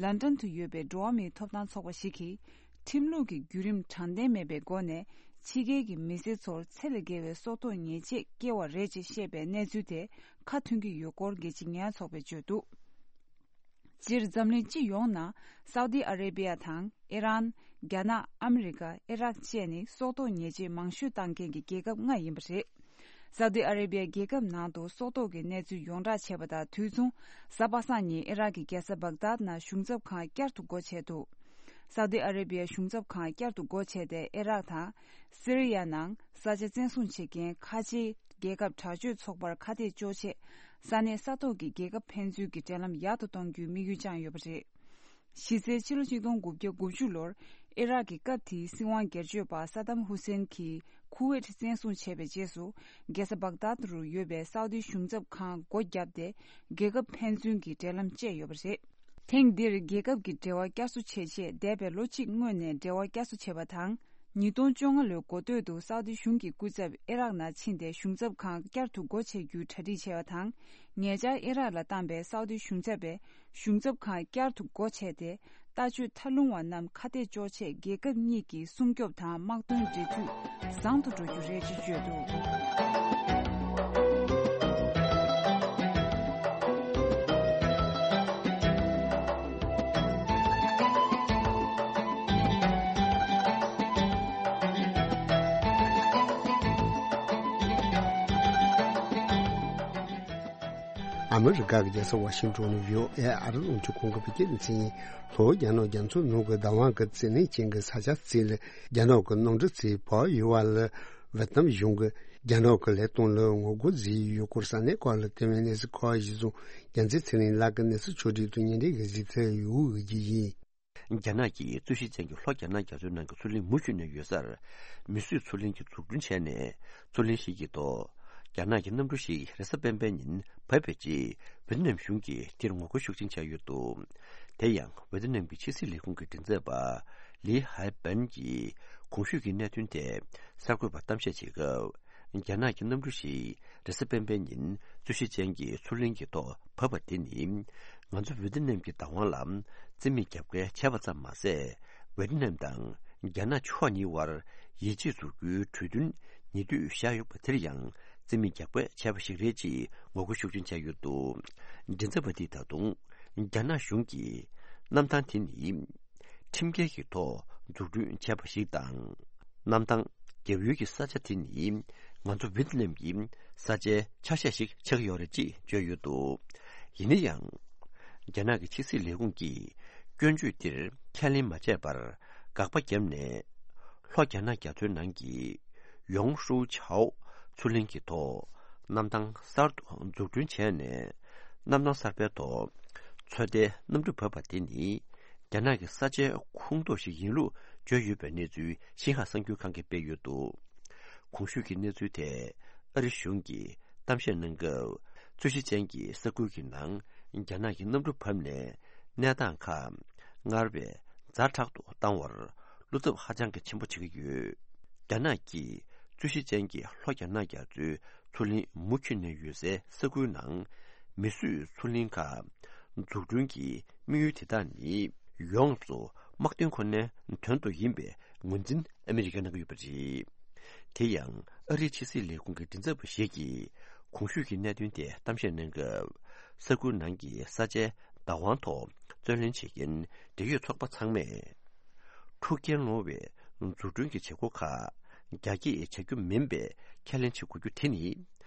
ལན་ཀྲན་དུ་ཡོད་པའི་འགྲོ་བ་མིའི་ཐོབ་ཐང་ཚོགས་པ་ཞིག་གིས། ཁྲིམས་ལུགས་ཀྱི་བརྒྱུད་རིམ་དྲང་བདེན་མེད་པའི་སྒོ་ནས། ཕྱི་རྒྱལ་གྱི་མི་སེར་ཚོར་ཚད་ལས་བརྒལ་བའི་སྲོག་ཐོག་ཉེས་ཆད་བཀལ་བ་རེད་ཅེས་བཤད་པའི་གནས་ཚུལ་དེ་ཁ་མཐུན་གྱི་ཡོད་སྐོར་རྒྱལ་སྤྱིའི་ཉེས་ཡངས་ཚོགས་པས་བརྗོད་འདུག་སྤྱིར་འཛམ་གླིང་སྤྱི་ཡོངས་ནང་སའུ་དི་ཨ་རེ་བྷི་ཡ་དང་ཨི་རན། རྒྱ་ནག་ཨ་མི་རི་ཀ་ཨི་རག་བཅས་ནི་སྲོག་ཐོག་ཉེས་ཆད་མང་ཤོས་བཏང་མཁན་གྱི་རྒྱལ་ཁབ་ལྔ་ཡིན་པ་རེད། སའུ་དི་ཨ་རེ་བྷི་ཡ་རྒྱལ་ཁབ་ནང་དུ་སྲོག་ཐོག་གི་གནས་ཚུལ་ཡོངས་བསྒྲགས་བྱས་པ་དང་དུས་མཚུངས། གཟའ་པ་སངས་ཉིན་ཨི་རག་གི་རྒྱལ་ས་བག་དཱད་ནང་གཞུང་ཚབ་ཁང་བསྐྱར་དུ་སྒོ་ཕྱེ་འདུག་སའུ་དི་ཨ་རེ་བྷི་ཡ་གཞུང་ཚབ་ཁང་བསྐྱར་དུ་སྒོ་ཕྱེ་སྟེ་ཨི་རག་དང་སི་རི་ཡ་ནང་ས་ཆ་བཙན་བཟུང་བྱེད་མཁན་ཁ་ཆེའི་རྒྱལ་ཁབ་དྲག་སྤྱོད་ཚོགས་པར་ཁ་གཏད་གཅོག་ཆེད། ས་གནས་ས་ཐོག་གི་རྒྱལ་ཁབ་ཕན་ཚུན་གྱི་འབྲེལ་ལམ་ཡག་ཏུ་གཏོང་རྒྱུའི་དམིགས་ཡུལ་བཅངས་ཡོད་པ་རེད། གཞི་རྩའི་ཕྱི་ལོ་གཅིག་སྟོང་དགུ་བརྒྱ་དགུ་བཅུ་ལོར། ཨི་རག་གི་སྐབས་དེའི་སྲིད་དབང་སྒེར་གཅོད་པ་ས་དམ་ཧུ་སེན་གྱིས་ཁུ་ཝེད་བཙན་བཟུང་བྱས་པའི་རྗེས་སུ། རྒྱལ་ས་བག་དཱད་རུ་ཡོད་པའི་སའུ་ཏི་གཞུང་ཚབ་ཁང་སྒོ་བརྒྱབ་སྟེ། རྒྱལ་ཁབ་ཕན་ཚུན་གྱི་འབྲེལ་ལམ་བཅད་ཡོད་པ་རེད། ཐེངས་འདིར་རྒྱལ་ཁབ་ཀྱི་འབྲེལ་བ་བསྐྱར་གསོ་བྱེད་ཆེད་འདས་པའི་ལོ་གཅིག་སྔོན་ནས་འབྲེལ་བ་བསྐྱར་གསོ་བྱས་པ་དང་། ཉིས་སྟོང་བཅོ་ལྔ་ལོའི་འགོ་སྟོད་དུ་སའུ་ཏི་གཞུང་གི་སྐུ་ཚབ་ཨི་རག་ནང་ཕྱིན་ཏེ་གཞུང་ཚབ་ཁང་བསྐྱར་དུ་སྒོ་ཕྱེ་རྒྱུའི་གྲ་སྒྲིག་བྱས་པ་དང་། ཉེ་ཆར་ཨི་རག་ལ་བཏང་པའི་སའུ་ཏི་གཞུང་ཚབ་པས་གཞུང་ཚབ་ཁང་བསྐྱར་དུ་སྒོ་ཕྱེ་སྟེ། ལྟ་སྤྱོད་མཐའ་ལྷུང་བ་རྣམས་ཁ་གཏད་གཅོག་ཆེད་རྒྱལ་ཁབ་གཉིས་ཀྱི་སྲུང་སྐྱོབ་དང་དམག་དོན་འབྲེལ་མཐུད་བཟང་དུ་འགྲོ་རྒྱུ་རེད་ཅེས་བརྗོད་འདུག། ཨ་མི་རི་ཀ་གི་རྒྱལ་ས་ཝ་ཤིང་ཏོན་ནས་བྷི་ཨོ་ཨེ་ཨ་རི་རླུང་འཕྲིན་ཁང་གི་བོད་སྐད་སྡེ་ཚན་ཡིན། ལྷོ་རྒྱ་ནག་རྒྱ་མཚོའི་ནང་གི་བདག་དབང་གི་རྩིས་ལེན་ཅན་གྱི་ས་ཆ་རྩིས་ལ་རྒྱ་ནག་གི་གནམ་གྲུ་རྩིས་བབས་ཡོད་པ་ལ། ཝེ་ཏི་ནམ་གཞུང་གིས་རྒྱ་ནག་གི་ལས་དོན་ལ་ངོ་རྒོལ་བཟོས་ཡོད་སྐོར་ས་གནས་ཁག་ལ་བསྟན་པའི་གནས་ཚུལ་ཁག་གཞི་བཟུང་རྒྱལ་མཚན་ཚེ་རིང་ལགས་ཀྱིས་གནས་ཚུལ་ཕྱོགས་སྒྲིག་ཏུ་སྙན་སྒྲོན་གྱི་གཟིགས་ཚུལ་ཡོད་ཀྱི་ཡིན། རྒྱ་ནག་གིས་རྩོད་གཞི་ཅན་གྱི་ལྷོ་རྒྱ་ནག་རྒྱ་མཚོའི་ནང་གི་མཚོ་གླིང་མུ་མཐུད་ནས་ཡོད་སར། མིས་བཟོས་མཚོ་གླིང་གི་འཛུགས་སྐྲུན་བྱས་ནས། མཚོ་གླིང་ཞིག་གི་ཐོག་རྒྱ་ནག་གི་གནམ་གྲུ་ཞིག་རེས་གཟའ་སྤེན་པའི་ཉིན་བབས་པའི་རྗེས། ཝེ་ཏི་ནམ་གཞུང་གིས་དེར་ངོ་རྒོལ་ཤུགས་ཆེན་བྱས་ཡོད་འདུག། དེ་ཡང་ཝེ་ཏི་ནམ་གྱི་ཕྱི་སྲིད་ལས་ཁུངས་ཀྱི་མགྲིན་ཚབ་པ། ལི་ཧའེ་པན་གྱིས་གོང་ཞུས་ཀྱི་གནད་དོན་ཐད་གསར་འགོད་པར་གཏམ་བཤད་བྱེད་སྐབས། རྒྱ་ནག་གི་གནམ་གྲུ་ཞིག་རེས་གཟའ་སྤེན་པའི་ཉིན་རྩོད་གཞི་ཅན་གྱི་མཚོ་གླིང་གི་ཐོག་བབས་པ་དེ་ནི། ང་ཚོ་ཝེ་ཏི་ནམ་གྱི་བདག་དབང་ལ་རྩིས་མེད་རྒྱབ་འགལ་བྱས་པ་ཙམ་མ་ཟད། ཝེ་ཏི་ནམ་དང་རྒྱ་ནག་ཕྱོགས་གཉིས་དབར་ཡིད་ཆེས་འཛུགས་རྒྱུའི་གྲོས་མཐུན་ཉེ་དུས་བཞག་ཡོད་པ་དེར་ཡང་རྩིས་མེད་རྒྱབ་འགལ་བྱས་པ་ཞིག་རེད་ཅེས་ངོ་རྒོལ་ཤུགས་ཆེན་བྱས་ཡོད་འདུག། མགྲིན་ཚབ་པ་དེས་ད་དུང་། རྒྱ་ནག་གཞུང་གིས་གནམ་ཐང་དེ་ནི། ཁྲིམས་འགལ་གྱི་ཐོག་འཛུགས་སྐྲུན་བྱས་པ་ཞིག་དང་། གནམ་ཐང་རྒྱབ་ཡོལ་གྱི་ས་ཆ་དེ་ནི་ང་ཚོ་ཝེ་ཏི་ནམ་གྱི་ས་ཆའི་ཆ་ཤས་ཤིག་ཆགས་ཀྱི་ཡོད་རེད་ཅེས་བརྗོད་ཡོད་འདུག། ཡིན་ན་ཡང་། རྒྱ་ནག་གི་ཕྱི་སྲིད་ལས་ཁུངས་ཀྱིས་སྐྱོན་བརྗོད་འདིར་ཁས་ལེན་མ་བྱས་པར་དགག་པ་བརྒྱབ་ནས། ལྷོ་རྒྱ་ནག་རྒྱ་མཚོའི་ནང་གི་ཡོང་ཧྲུའུ་ཆའོ་མཚོ་གླིང་གི་ཐོག་གནམ་ཐང་གསར་དུ་འཛུགས་སྐྲུན་བྱས་ནས། གནམ་ཐང་གསར་པའི་ཐོག་ཚོད་ལྟའི་གནམ་གྲུ་བབས་པ་དེ་ནི། རྒྱ་ནག་གི་ས་ཆའི་ཁོངས་གཏོགས་ཤིག་ཡིན་ལུགས་བརྗོད་ཡོད་པའི་གནས་ཚུལ་ཤིན་ཧྭ་གསར་འགྱུར་ཁང་གིས་སྤེལ་ཡོད་འདུག། གོང་ཞུས་ཀྱི་གནས་ཚུལ་ཐད་ཨ་རི་གཞུང་གིས་གཏམ་བཤད་གནང་སྐབས། རྩོད་གཞི་ཅན་གྱི་ས་ཁུལ་གྱི་ནང་རྒྱ་ནག་གི་གནམ་གྲུ་བབས་ནས་གནས་སྟངས་ཁག་སྔར་བས་ཛ་དྲག་ཏུ་བཏང་བར་བློ་འཚབ་ཧ་ཅང་གི་ཆེན་པོ་བྱེད་ཀྱི་ཡོད། རྒྱ་ནག་གིས་རྩོད་གཞི་ཅན་གྱི་ལྷོ་རྒྱ་ནག་རྒྱ་མཚོའི་མཚོ་གླིང་མུ་མཐུད་ནས་ཡོད་སའི་ས་ཁུལ་ནང་མིས་བཟོས་མཚོ་གླིང་ཁག་འཛུགས་སྐྲུན་གྱི་དམིགས་ཡུལ་དེ་དག་ནི་ཡོངས་སུ་དམག་དོན་ཁོ་ནའི་དོན་དུ་ཡིན་པའི་ངོས་འཛིན་ཨ་མི་རི་ཀས་གནང་གི་ཡོད་པ་རེད། དེ་ཡང་ཨ་རིའི་ཕྱི་སྲིད་ལས་ཁུངས་ཀྱི་མགྲིན་ཚབ་པ་ཞིག་གིས་གོང་ཞུས་ཀྱི་གནད་དོན་ཐད་གཏམ་བཤད་གནང་སྐབས། ས་ཁུལ་ནང་གི་ས་ཆའི་བདག་དབང་ཐོག་རྩོད་ལེན་བྱེད་མཁན་འབྲེལ་ཡོད་ཚོགས་པ་ཚང་མས། འཁྲུག་རྐྱེན་སློང་བའི་འཛུགས་སྐྲུན་གྱི་བྱེད་སྒོ་ཁག་རྒྱ་སྐྱེད་བྱ་རྒྱུ་མིན་པའི་ཁས་ལེན་བྱེད་དགོས་རྒྱུ་དེ་ནི།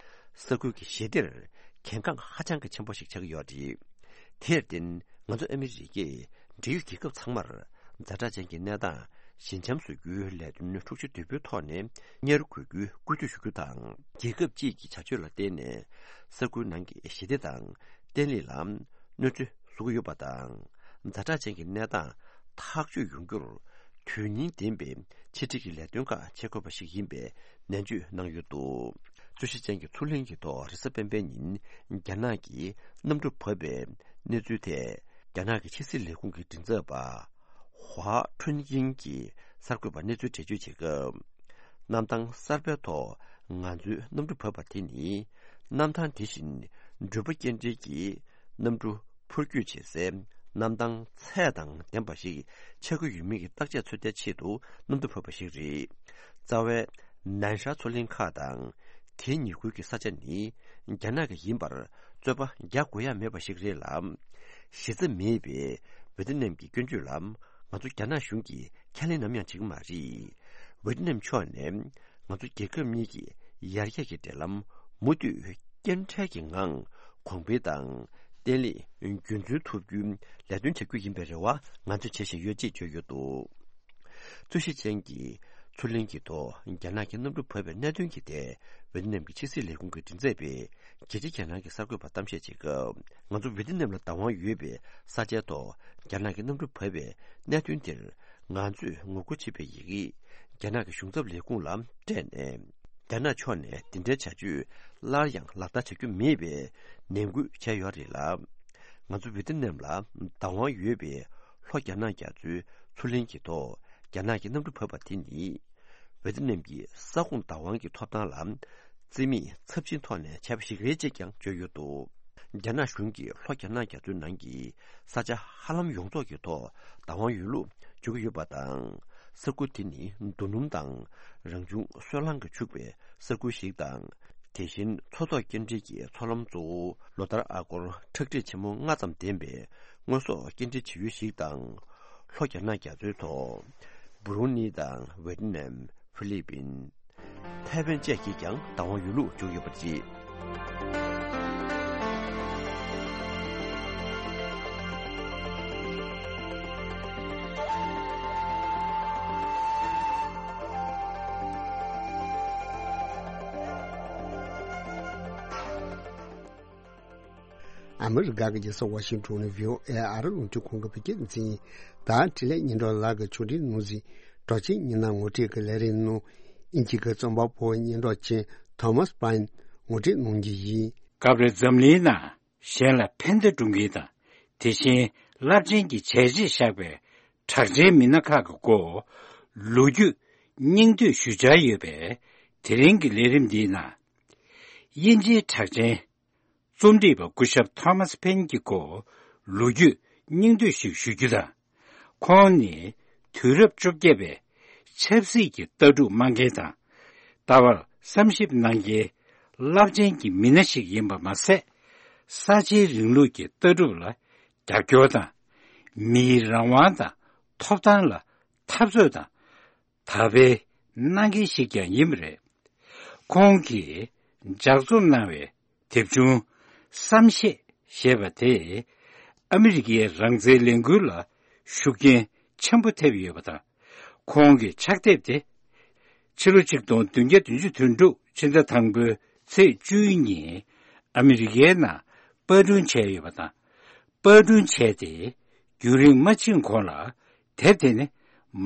ས་ཁུལ་གྱི་ཞི་བདེར་གལ་འགངས་ཧ་ཅང་གི་ཆེན་པོ་ཞིག་ཆགས་ཀྱི་ཡོད་རེད། དེར་བརྟེན་ང་ཚོ་ཨ་མི་རི་ཀས་འབྲེལ་ཡོད་རྒྱལ་ཁབ་ཚང་མར་ཛ་དྲག་ཅན་གྱི་གནས་སྟངས་ཞི་འཇམ་བཟོ་རྒྱུའི་ལས་དོན་འཁྲུག་ཆ་དོད་པོའི་ཐོག་ནས་གཉེར་དགོས་རྒྱུའི་སྐུལ་འདེད་ཞུ་རྒྱུ་དང་། རྒྱལ་ཁབ་གཅིག་གི་བྱ་སྤྱོད་ལ་བརྟེན་ནས་ས་ཁུལ་ནང་གི་ཞི་བདེ་དང་བརྟན་ལྷིང་ལ་གནོད་འཚེ་བཟོ་གི་ཡོད་པ་དང་། ཛ་དྲག་ཅན་གྱི་གནས་སྟངས་ཐག་གཅོད་ཡོང་རྒྱུར་དོན་སྙིང་ལྡན་པའི་ཕྱི་འབྲེལ་གྱི་ལས་དོན་ཁག་བྱེད་དགོས་པ་ཞིག་ཡིན་པའི་ནན་བརྗོད་གནང་ཡོད་འདུག། རྩོད་གཞི་ཅན་གྱི་མཚོ་གླིང་གི་ཐོག་རེས་གཟའ་སྤེན་པའི་ཉིན་རྒྱ་ནག་གིས་གནམ་གྲུ་བབས་པའི་གནས་ཚུལ་ཐད། རྒྱ་ནག་གི་ཕྱི་སྲིད་ལས་ཁུངས་ཀྱི་མགྲིན་ཚབ་པ་ཧྭ་ཁྲུན་དབྱིང་གིས་གསར་འགོད་པར་གནས་ཚུལ་འགྲེལ་བརྗོད་བྱེད་སྐབས། གནམ་ཐང་གསར་པའི་ཐོག་ང་ཚོའི་གནམ་གྲུ་བབས་པ་དེ་ནི། གནམ་ཐང་དེ་བཞིན་འགྲུལ་པ་སྐྱེལ་འདྲེན་གྱི་གནམ་གྲུ་འཕུར་སྐྱོད་བྱེད་སའི་གནམ་ཐང་ཚད་དང་ལྡན་པ་ཞིག་ཆགས་ཀྱི་ཡོད་མེད་ཀྱི་བརྟག་དཔྱད་ཚོད་ལྟའི་ཆེད་དུ་གནམ་གྲུ་བབས་པ་ཞིག་རེད། རྩ་བའི་ནན་ཧྲ་མཚོ་གླིང་ཁག་དང་། དེའི་ཉེ་ཁུལ་གྱི་ས་ཆ་ནི་རྒྱ་ནག་གི་ཡིན་པར་རྩོད་པ་རྒྱག་དགོས་ཡ་མེད་པ་ཞིག་རེད་ལ། གཞི་རྩ་མེད་པའི་ཝེ་ཏི་ནམ་གྱི་སྐྱོན་བརྗོད་ལ་ང་ཚོ་རྒྱ་ནག་གཞུང་གིས་ཁས་ལེན་ནམ་ཡང་བྱེད་ཀྱི་མ་རེད། ཝེ་ཏི་ནམ་ཕྱོགས་ནས་ང་ཚོ་རྒྱལ་ཁབ་གཉིས་ཀྱི་ཡར་རྒྱས་ཀྱི་འབྲེལ་ལམ་མུ་མཐུད་སྐྱོན་བྲལ་གྱི་ངང་གོང་འཕེལ་དང་བརྟན་ལྷིང་རྒྱུན་འཛིན་ཐུབ་རྒྱུའི་ལས་དོན་བྱ་རྒྱུ་ཡིན་པའི་རེ་བ་ང་ཚོས་བྱེད་བཞིན་ཡོད་ཅེས་བརྗོད་ཡོད་འདུག། རྩོད་གཞི་ཅན་གྱི་མཚོ་གླིང་གི་ཐོག་རྒྱ་ནག་གི་གནམ་གྲུ་བབས་པའི་གནད་དོན་གྱི་ཐད་ཝེ་ཏི་ནམ་གྱི་ཕྱི་སྲིད་ལས་ཁུངས་ཀྱི་མགྲིན་ཚབ་པས་རྒྱལ་སྤྱིའི་གྱེན་ལངས་ཀྱི་གསར་འགོད་པར་གཏམ་བཤད་བྱེད་སྐབས། ང་ཚོ་ཝེ་ཏི་ནམ་ལ་བདག་དབང་ཡོད་པའི་ས་ཆའི་ཐོག་རྒྱ་ནག་གི་གནམ་གྲུ་བབས་པའི་གནད་དོན་དེར། ང་ཚོས་ངོ་རྒོལ་བྱེད་པའི་ཡི་གེ་རྒྱ་ནག་གི་གཞུང་ཚབ་ལས་ཁུངས་ལ་སྤྲད་ནས། རྒྱ་ནག་ཕྱོགས་ནས་འདི་འདྲའི་བྱ་སྤྱོད་སླར་ཡང་ལག་བསྟར་བྱ་རྒྱུ་མེད་པའི་ནན་སྐུལ་བྱས་ཡོད་རེད་ལ། ང་ཚོ་ཝེ་ཏི་ནམ་ལ་བདག་དབང་ཡོད་པའི་ལྷོ་རྒྱ་ནག་རྒྱ་མཚོའི་མཚོ་གླིང་གི་ཐོག་རྒྱ་ནག་གིས་གནམ་གྲུ་བབས་པ་དེ་ནི། ཝེ་ཏི་ནམ་གྱི་ས་ཁོངས་བདག་དབང་གི་ཐོབ་ཐང་ལ་བརྩི་མེད་ཚབས་ཆེན་ཐོག་ནས་བྱས་པ་ཞིག་རེད་ཅེས་ཀྱང་བརྗོད་ཡོད་འདུག་རྒྱ་ནག་གཞུང་གིས་ལྷོ་རྒྱ་ནག་རྒྱ་མཚོའི་ནང་གི་ས་ཆ་ཧ་ལམ་ཡོངས་རྫོགས་ཀྱི་ཐོག་བདག་དབང་ཡོད་ལུགས་བརྗོད་ཀྱི་ཡོད་པ་དང་། ས་ཁུལ་དེ་ནི་རྡོ་སྣུམ་དང་རང་བྱུང་སོལ་རླངས་ཀྱིས་ཕྱུག་པའི་ས་ཁུལ་ཞིག་དང་། དེ་བཞིན་མཚོ་ཐོག་སྐྱེལ་འདྲེན་གྱི་མཚོ་ལམ་གཙོ་བོ་ལོ་ལྟར་ཨ་སྒོར་ཁྲག་ཁྲིག་ཆེན་མོ་ལྔ་ཙམ་ལྡན་པའི་དངོས་ཟོག་སྐྱེལ་འདྲེན་བྱེད་ཡུལ་ཞིག་དང་། ལྷོ་རྒྱ་ནག་རྒྱ་མཚོའི་ཐོག་སྦུ་རུ་ནི་དང་ཝེ་ཏི་ནམ། ཧྥི་ལི་པིན། ཐའེ་ཝན་བཅས་ཀྱིས་ཀྱང་བདག་དབང་ཡོད་ལུགས་བརྗོད་ཡོད་པ་རེད། ཨ་མི་རི་ཀ་གི་རྒྱལ་ས་ཝ་ཤིང་ཊོན་ནས་བྷི་ཨོ་ཨེ་ཨ་རི་རླུང་འཕྲིན་ཁང་གི་བོད་སྐད་སྡེ་ཚན་ཡིན། ད་འཕྲིན་ལས་སྙན་གྲགས་ལགས་ཀྱིས་ཕྱོགས་སྒྲིག་གནང་ཟིན་གྲགས་ཅན་སྙན་ངག་ངོ་སྤྲོད་ཀྱི་ལས་རིམ་ནང་། དབྱིན་ཇི་གི་རྩོམ་པ་པོ་སྙན་གྲགས་ཅན་ཐོ་མཱས་པཱིན་ངོ་སྤྲོད་གནང་རྒྱུ་ཡིན། སྐབས་རེ་འཛམ་གླིང་ནང་གཞན་ལ་ཕན་བདེ་བསྐྲུན་མཁན་དང་། དེ་བཞིན་རླབས་ཆེན་གྱི་བྱས་རྗེས་བཞག་པའི་གྲགས་ཅན་མི་སྣ་ཁག་གི་སྐོར་ལོ་རྒྱུས་སྙིང་བསྡུས་ཞུ་འཆར་ཡོད་པས། དེ་རིང་གི་ལས་རིམ་འདིའི་ནང་། དབྱིན་ཇིའི་གྲགས་ཅན་རྩོམ་སྒྲིག་པ་སྐུ་ཞབས་ཐོ་མཱས་པེན་གྱི་སྐོར་ལོ་རྒྱུས་སྙིང་བསྡུས་ཤིག་ཞུ་རྒྱུ་དང་། ཁོང་ནི་དུས་རབས་བཅོ་བརྒྱད་པའི་ཆབ་སྲིད་ཀྱི་ལྟ་གྲུབ་སྨྲ་མཁན་དང་། ལྟ་བར་བསམ་ཞིབ་གནང་མཁན་རླབས་ཆེན་གྱི་མི་སྣ་ཞིག་ཡིན་པ་མ་ཟད། གསར་བརྗེའི་རིང་ལུགས་ཀྱི་ལྟ་གྲུབ་ལ་རྒྱབ་སྐྱོར་དང་། མིའི་རང་དབང་དང་ཐོབ་ཐང་ལ་འཐབ་རྩོད་དང་། དར་སྤེལ་གནང་མཁན་ཞིག་ཀྱང་ཡིན་པ་རེད། ཁོང་གིས་ལྗགས་རྩོམ་གནང་བའི་དེབ་ཆུང་བསམ་ཤེས་ཞེས་པ་དེས་ཨ་མི་རི་ཀའི་རང་བཙན་ལས་འགུལ་ལ་ཤུགས་རྐྱེན་ཆེན་པོ་ཐེབས་ཡོད་པ་དང་། ཁོང་གི་ཕྱག་དེབ་དེ་ཕྱི་ལོ་ཆིག་སྟོང་བདུན་བརྒྱ་བདུན་ཅུ་དོན་དྲུག་ཕྱི་ཟླ་དང་པོའི་ཚེས་བཅུ་གཉིས་ཨ་མི་རི་ཀའི་ནང་པར་སྐྲུན་བྱས་ཡོད་པ་དང་། པར་སྐྲུན་བྱས་ཏེ་རྒྱུན་རིང་མ་ཕྱིན་གོང་ལ་དེབ་དེ་ནི་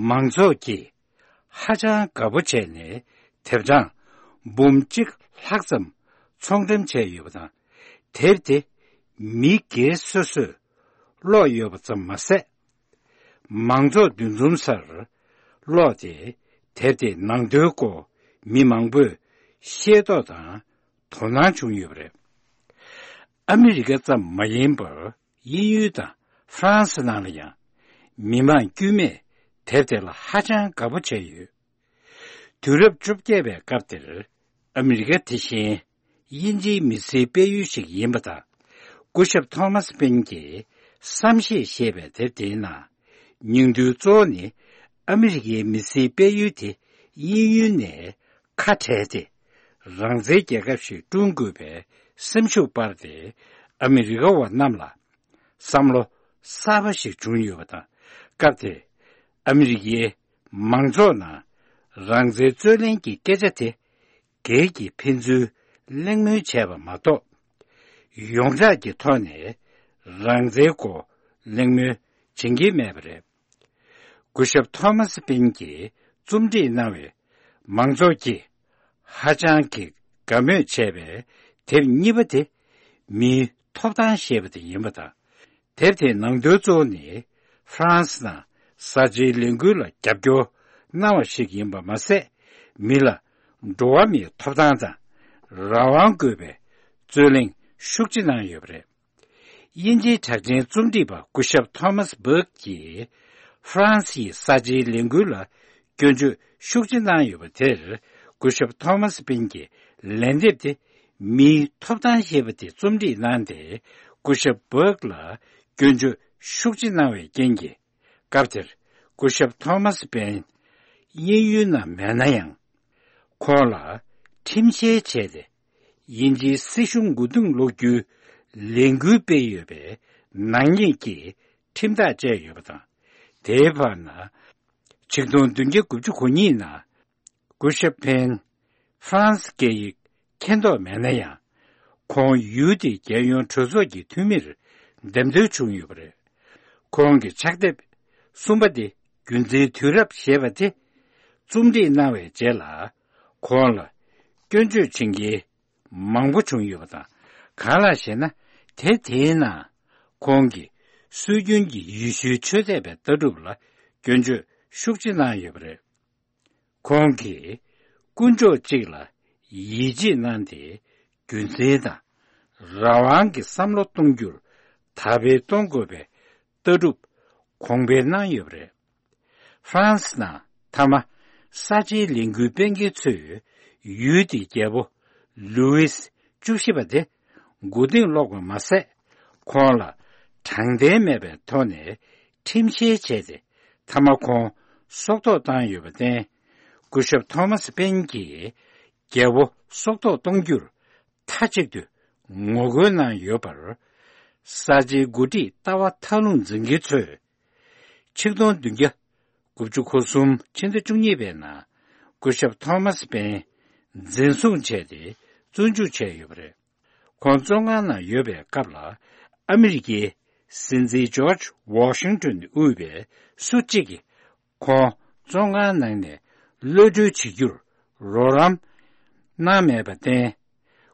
མང་ཚོགས་ཀྱིས་ཧ་ཅང་དགའ་པོ་བྱས་ནས་དེབ་གྲངས་འབུམ་གཅིག་ལྷག་ཙམ་ཚོང་འགྲེམས་བྱས་ཡོད་པ་དང་། དེབ་དེ་མི་སྒེར་སོ་སོས་ཀློག་ཡོད་པ་ཙམ་མ་ཟད། མང་ཚོགས་འདུ་འཛོམས་སར་ཀློག་སྟེ། དེབ་དེའི་ནང་དོན་སྐོར་མི་མང་པོས་ཤེས་རྟོགས་དང་དོ་སྣང་བྱུང་ཡོད་པ་རེད། ཨ་མི་རི་ཀ་ཙམ་མ་ཡིན་པར། དབྱིན་ཡུལ་དང་ཧྥ་རན་སི་ནང་ལ་ཡང་མི་མང་དཀྱུས་མས་དེབ་དེ་ལ་ཧ་ཅང་དགའ་པོ་བྱས་ཡོད། དུས་རབས་བཅོ་བརྒྱད་པའི་སྐབས་དེར་ཨ་མི་རི་ཀ་དེ་བཞིན་དབྱིན་ཇིའི་མི་སེར་སྤེལ་ཡུལ་ཞིག་ཡིན་པ་དང་། སྐུ་ཞབས་ཐོ་མཱས་པེན་གྱིས་བསམ་ཤེས་ཞེས་པའི་དེབ་དེའི་ནང་། སྙིང་དོན་གཙོ་བོ་ནི་ཨ་མི་རི་ཀའི་མི་སེར་སྤེལ་ཡུལ་དེ་དབྱིན་ཡུལ་ནས་ཁ་བྲལ་ཏེ། རང་བཙན་རྒྱལ་ཁབ་ཞིག་བསྐྲུན་དགོས་པའི་སེམས་ཤུགས་སྤར་ཏེ། ཨ་མི་རི་ཀ་བ་རྣམས་ལ་བསམ་བློ་གསར་པ་ཞིག་བྱུང་ཡོད་པ་དང་། སྐབས་དེར་ཨ་མི་རི་ཀའི་མང་ཚོགས་ནང་རང་བཙན་རྩོད་ལེན་གྱི་སྐད་ཆ་དེ་སྒེར་གྱི་ཕན་ཚུན་གླེང་མོལ་བྱས་པ་མ་གཏོགས། ཡོངས་གྲགས་ཀྱི་ཐོག་ནས་རང་བཙན་སྐོར་གླེང་མོལ་བྱེད་ཀྱིན་མེད་པ་རེད། སྐུ་ཞབས་ཐོ་མཱས་པིན་གྱིས་རྩོམ་སྒྲིག་གནང་བའི་མང་ཚོགས་ཀྱིས་ཧ་ཅང་གི་དགའ་མོས་བྱས་པའི་དེབ་གཉིས་པ་དེ་མིའི་ཐོབ་ཐང་ཞེས་པ་དེ་ཡིན་པ་དང་། དེབ་དེའི་ནང་དོན་གཙོ་བོ་ནི་ཧྥ་རན་སི་ནང་གསར་བརྗེའི་ལས་འགུལ་ལ་རྒྱབ་སྐྱོར་གནང་བ་ཞིག་ཡིན་པ་མ་ཟད། མི་ལ་འགྲོ་བ་མིའི་ཐོབ་ཐང་དང་རང་དབང་དགོས་པའི་རྩོད་གླེང་ཤུགས་ཆེ་གནང་ཡོད་པ་རེད། དབྱིན་ཇིའི་གྲགས་ཅན་རྩོམ་སྒྲིག་པ་སྐུ་ཞབས་ཐོ་མཱས་བྷག་གིས་ཧྥ་རན་སིའི་གསར་བརྗེའི་ལས་འགུལ་ལ་སྐྱོན་བརྗོད་ཤུགས་ཆེ་གནང་ཡོད་པ་དེར། སྐུ་ཞབས་ཐོ་མཱས་པིན་གྱིས་ལན་འདེབས་ཏེ། མིའི་ཐོབ་ཐང་ཞེས་པ་དེ་རྩོམ་སྒྲིག་གནང་སྟེ། སྐུ་ཞབས་བྷག་ལ་སྐྱོན་བརྗོད་ཤུགས་ཆེ་གནང་བའི་རྐྱེན་གྱིས། སྐབས་དེར་སྐུ་ཞབས་ཐོ་མཱས་པིན་དབྱིན་ཡུལ་ནང་མེད་ན་ཡང་། ཁོང་ལ་ཁྲིམས་བཤེར་བྱས་ཏེ། དབྱིན་ཇིའི་སྲིད་གཞུང་མགོ་རྟིང་སློག་རྒྱུའི་ལས་འགུལ་སྤེལ་ཡོད་པའི་ནག་ཉེས་ཀྱི་ཁྲིམས་ཐག་བཅད་ཡོད་པ་དང་། དེའི་བར་ན། ཆིག་སྟོང་བདུན་བརྒྱ་དགུ་བཅུ་གོ་གཉིས་ནང་སྐུ་ཞབས་པིན་ཧྥ་རན་སི་སྐད་ཡིག་མཁྱེན་རྟོགས་མེད་ན་ཡང་། ཁོང་ཡུལ་དེའི་རྒྱལ་ཡོངས་གྲོས་ཚོགས་ཀྱི་འཐུས་མིར་འདེམས་ཐོན་བྱུང་ཡོད་པ་རེད། ཁོང་གི་ཕྱག་དེབ་གསུམ་པ་དེ་ རྒྱུན་འཛིན་དུས་རབས་ཞེས་པ་དེ་རྩོམ་སྒྲིག་གནང་བའི་རྗེས་ལ། ཁོང་ལ་སྐྱོན་བརྗོད་བྱེད་མཁན་མང་པོ་བྱུང་ཡོད་པ་དང་། གང་ལགས་ཤེ་ན། དེ་དེའི་ནང་ཁོང་གིས་སྲོལ་རྒྱུན་གྱི་ཡེ་ཤུའི་ཆོས་དད་པའི་ལྟ་གྲུབ་ལ་སྐྱོན་བརྗོད་ཤུགས་ཆེ་གནང་ཡོད་པ་རེད། ཁོང་གིས་དཀོན་མཆོག་གཅིག་ལ་ཡིད་ཆེས་གནང་སྟེ། རྒྱུ་མཚན་དང་རང་དབང་གི་བསམ་བློ་གཏོང་རྒྱུར་དར་སྤེལ་གཏོང་དགོས་པའི་ལྟ་གྲུབ་གོང་འཕེལ་གནང་ཡོད་པ་རེད། ཧྥ་རན་སི་ནང་མཐའ་མ་གསར་བརྗེའི་ལས་འགུལ་སྤེལ་མཁན་ཚོས་ཡུལ་དེའི་རྒྱལ་པོ་ལུའིས་བཅུ་བཞི་པ་དེ་མགོ་རྟིང་སློག་པ་མ་ཟད། ཁོང་ལ་དྲང་བདེན་མེད་པའི་ཐོག་ནས་ཁྲིམས་བཤེར་བྱས་ཏེ། མཐའ་མ་ཁོང་སྲོག་ཐོག་བཏང་ཡོད་པར་བརྟེན། སྐུ་ཞབས་ཐོ་མཱ་སི་པེན་གྱིས་རྒྱལ་པོ་སྲོག་ཐོག་གཏོང་རྒྱུར་མཐའ་གཅིག་ཏུ་ངོ་རྒོལ་གནང་ཡོད་པར། གསར་བརྗེའི་འགོ་ཁྲིད་ལྟ་བ་མཐའ་ལྷུང་འཛིན་མཁན་ཚོས། ཆིག་སྟོང་བདུན་བརྒྱ་དགུ་བཅུ་གོ་གསུམ་ཕྱི་ཟླ་བཅུ་གཉིས་པའི་ནང་སྐུ་ཞབས་ཐོ་མཱ་སི་པེན་འཛིན་བཟུང་བྱས་ཏེ་བཙོན་འཇུག་བྱས་ཡོད་པ་རེད། ཁོང་བཙོན་ཁང་ནང་ཡོད་པའི་སྐབས་ལ། ཨ་མི་རི་ཀའི་སྲིད་འཛིན་ཇོརྗ་ཝོ་ཤིང་ཏོན་དབུས་པའི་སུ་གཅིག་གིས་ཁོང་བཙོན་ཁང་ནང་ནས་གློད་གྲོལ་བྱེད་རྒྱུར་རོགས་རམ་གནང་མེད་པར་བརྟེན།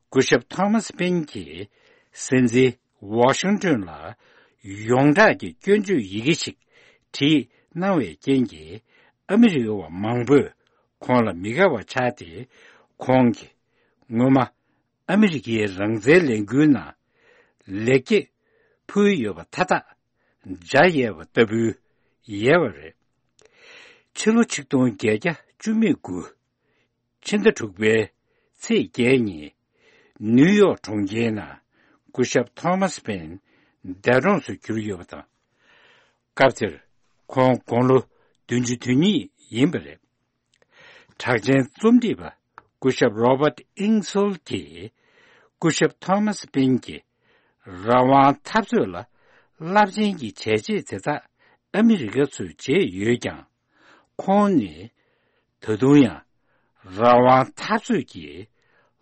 སྐུ་ཞབས་ཐོ་མཱ་སི་པེན་གྱིས་སྲིད་འཛིན་ཝོ་ཤིང་ཏོན་ལ་ཡོངས་གྲགས་ཀྱི་སྐྱོན་བརྗོད་ཡི་གེ་ཞིག་བྲིས་གནང་བའི་རྐྱེན་གྱིས། ཨ་མི་རི་ཀ་བ་མང་པོས་ཁོང་ལ་མི་དགའ་བ་ཆགས་ཏེ། ཁོང་གིས་སྔོན་མ་ཨ་མི་རི་ཀའི་རང་བཙན་ལས་འགུལ་ནང་ལེགས་སྐྱེས་ཕུལ་ཡོད་པ་མཐའ་དག་འཇའ་ཡལ་བ་ལྟ་བུའི་ཡལ་བ་རེད། ཕྱི་ལོ་ཆིག་སྟོང་བརྒྱད་བརྒྱ་བཅུ་མེད་དགུ། ཕྱི་ཟླ་དྲུག་པའི་ཚེས་བརྒྱད་ཉིན། ནིའུ་ཡོག་གྲོང་ཁྱེར་ནང་སྐུ་ཞབས་ཐོ་མཱ་སི་པེན་འདས་གྲོངས་སུ་གྱུར་ཡོད་པ་དང་། སྐབས་དེར་ཁོང་དགུང་ལོ་བདུན་ཅུ་དོན་གཉིས་ཡིན་པ་རེད། གྲགས་ཅན་རྩོམ་སྒྲིག་པ་སྐུ་ཞབས་རོ་བརྟ་ཨིང་སོལ་གྱིས། སྐུ་ཞབས་ཐོ་མཱ་སི་པེན་གྱིས་རང་དབང་འཐབ་རྩོད་ལ་རླབས་ཆེན་གྱི་བྱས་རྗེས་དེ་དག་ཨ་མི་རི་ཀ་ཚོས་བྱས་ཡོད་ཀྱང་། ཁོང་ནི་ད་དུང་ཡང་རང་དབང་འཐབ་རྩོད་ཀྱི་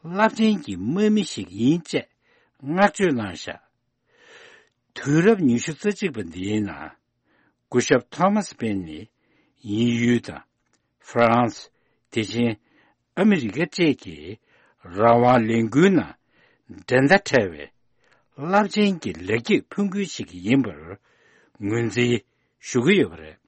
རླབས་ཆེན་གྱི་དམག་མི་ཞིག་ཡིན་ཅེས་བསྔགས་བརྗོད་གནང་བཞག་དུས་རབས་ཉི་ཤུ་རྩ་གཅིག་པ་འདིའི་ནང་སྐུ་ཞབས་ཐོ་མཱ་སི་པེན་ནི་དབྱིན་ཡུལ་དང་ཧྥ་རན་སི། དེ་བཞིན་ཨ་མི་རི་ཀ་བཅས་ཀྱི་རང་དབང་ལས་འགུལ་ནང་འགྲན་ཟླ་བྲལ་བའི་རླབས་ཆེན་གྱི་ལེགས་སྐྱེས་ཕུལ་མཁན་ཞིག་ཡིན་པར་ངོས་འཛིན་ཞུ་གི་ཡོད་པ་རེད།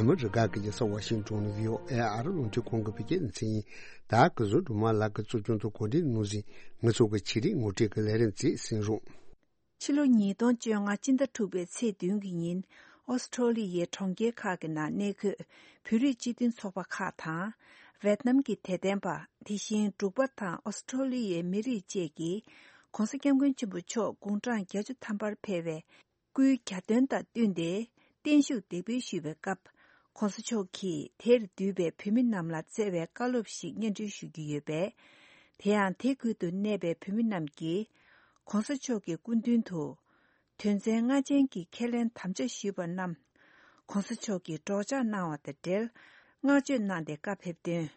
ཨ་མི་རི་ཀ་གི་རྒྱལ་ས་ཝ་ཤིང་ཏོན་ནས་བྷི་ཨོ་ཨེ་ཨ་རི་རླུང་འཕྲིན་ཁང་གི་བོད་སྐད་སྡེ་ཚན་ཡིན། ད་གཟའ་སྒྲོལ་མ་ལགས་ཀྱིས་གཙོ་སྐྱོང་དུ་གོ་སྒྲིག་གནང་ཟིན་ང་ཚོ་གི་ཆེད་རིག་ངོ་སྤྲོད་ཀྱི་ལས་རིམ་བཅས་གསན་རོགས། ཕྱི་ལོ་ཉིས་སྟོང་བཅོ་ལྔ་སྤྱི་ཟླ་དྲུག་པའི་ཚེས་བདུན་གྱི་ཉིན། ཨོ་སི་ཁྲོ་ལི་ཡའི་གྲོང་ཁྱེར་ཁག་གི་ནང་གནས་འཁོད་བོད་རིགས་སྤྱི་མཐུན་ཚོགས་པ་ཁག་དང་། ཝེད་ནམ་གྱི་དད་ལྡན་པ། དེ་བཞིན་འབྲུག་པ་དང་ཨོ་སི་ཁྲོ་ལི་ཡའི་མི་རིགས་བཅས་ཀྱིས། ྋགོང་ས་ྋསྐྱབས་མགོན་ཆེན་པོ་མཆོག་དགུང་གྲངས་བརྒྱད་ཅུ་ཐམ་པར་ཕེབས་པའི་སྐུའི་གྱ་སྟོན་དང་བསྟུན་ཏེ་བརྟན་བཞུགས་འདེགས་འབུལ་ཞུས་པའི་སྐབས། ྋགོང་ས་མཆོག་གིས་དེར་འདུས་པའི་བོད་མི་རྣམས་ལ་བསྩལ་བའི་བཀའ་སློབ་ཞིག་སྙན་སྒྲོན་ཞུ་རྒྱུ་ཡོད་པས། དེ་ཡང་དེ་ཁུལ་དུ་གནས་པའི་བོད་མི་རྣམས་ཀྱིས་ྋགོང་ས་མཆོག་གི་སྐུ་མདུན་དུ་དོན་ཚན་ལྔ་ཅན་གྱི་ཁས་ལེན་དམ་བཅའ་ཞུས་པ་རྣམས་ྋགོང་ས་མཆོག་གིས་སྒྲོག་སྦྱང་གནང་བ་དང་འབྲེལ་བསྔགས་བརྗོད་གནང་སྟེ་བཀའ་ཕེབས་དོན།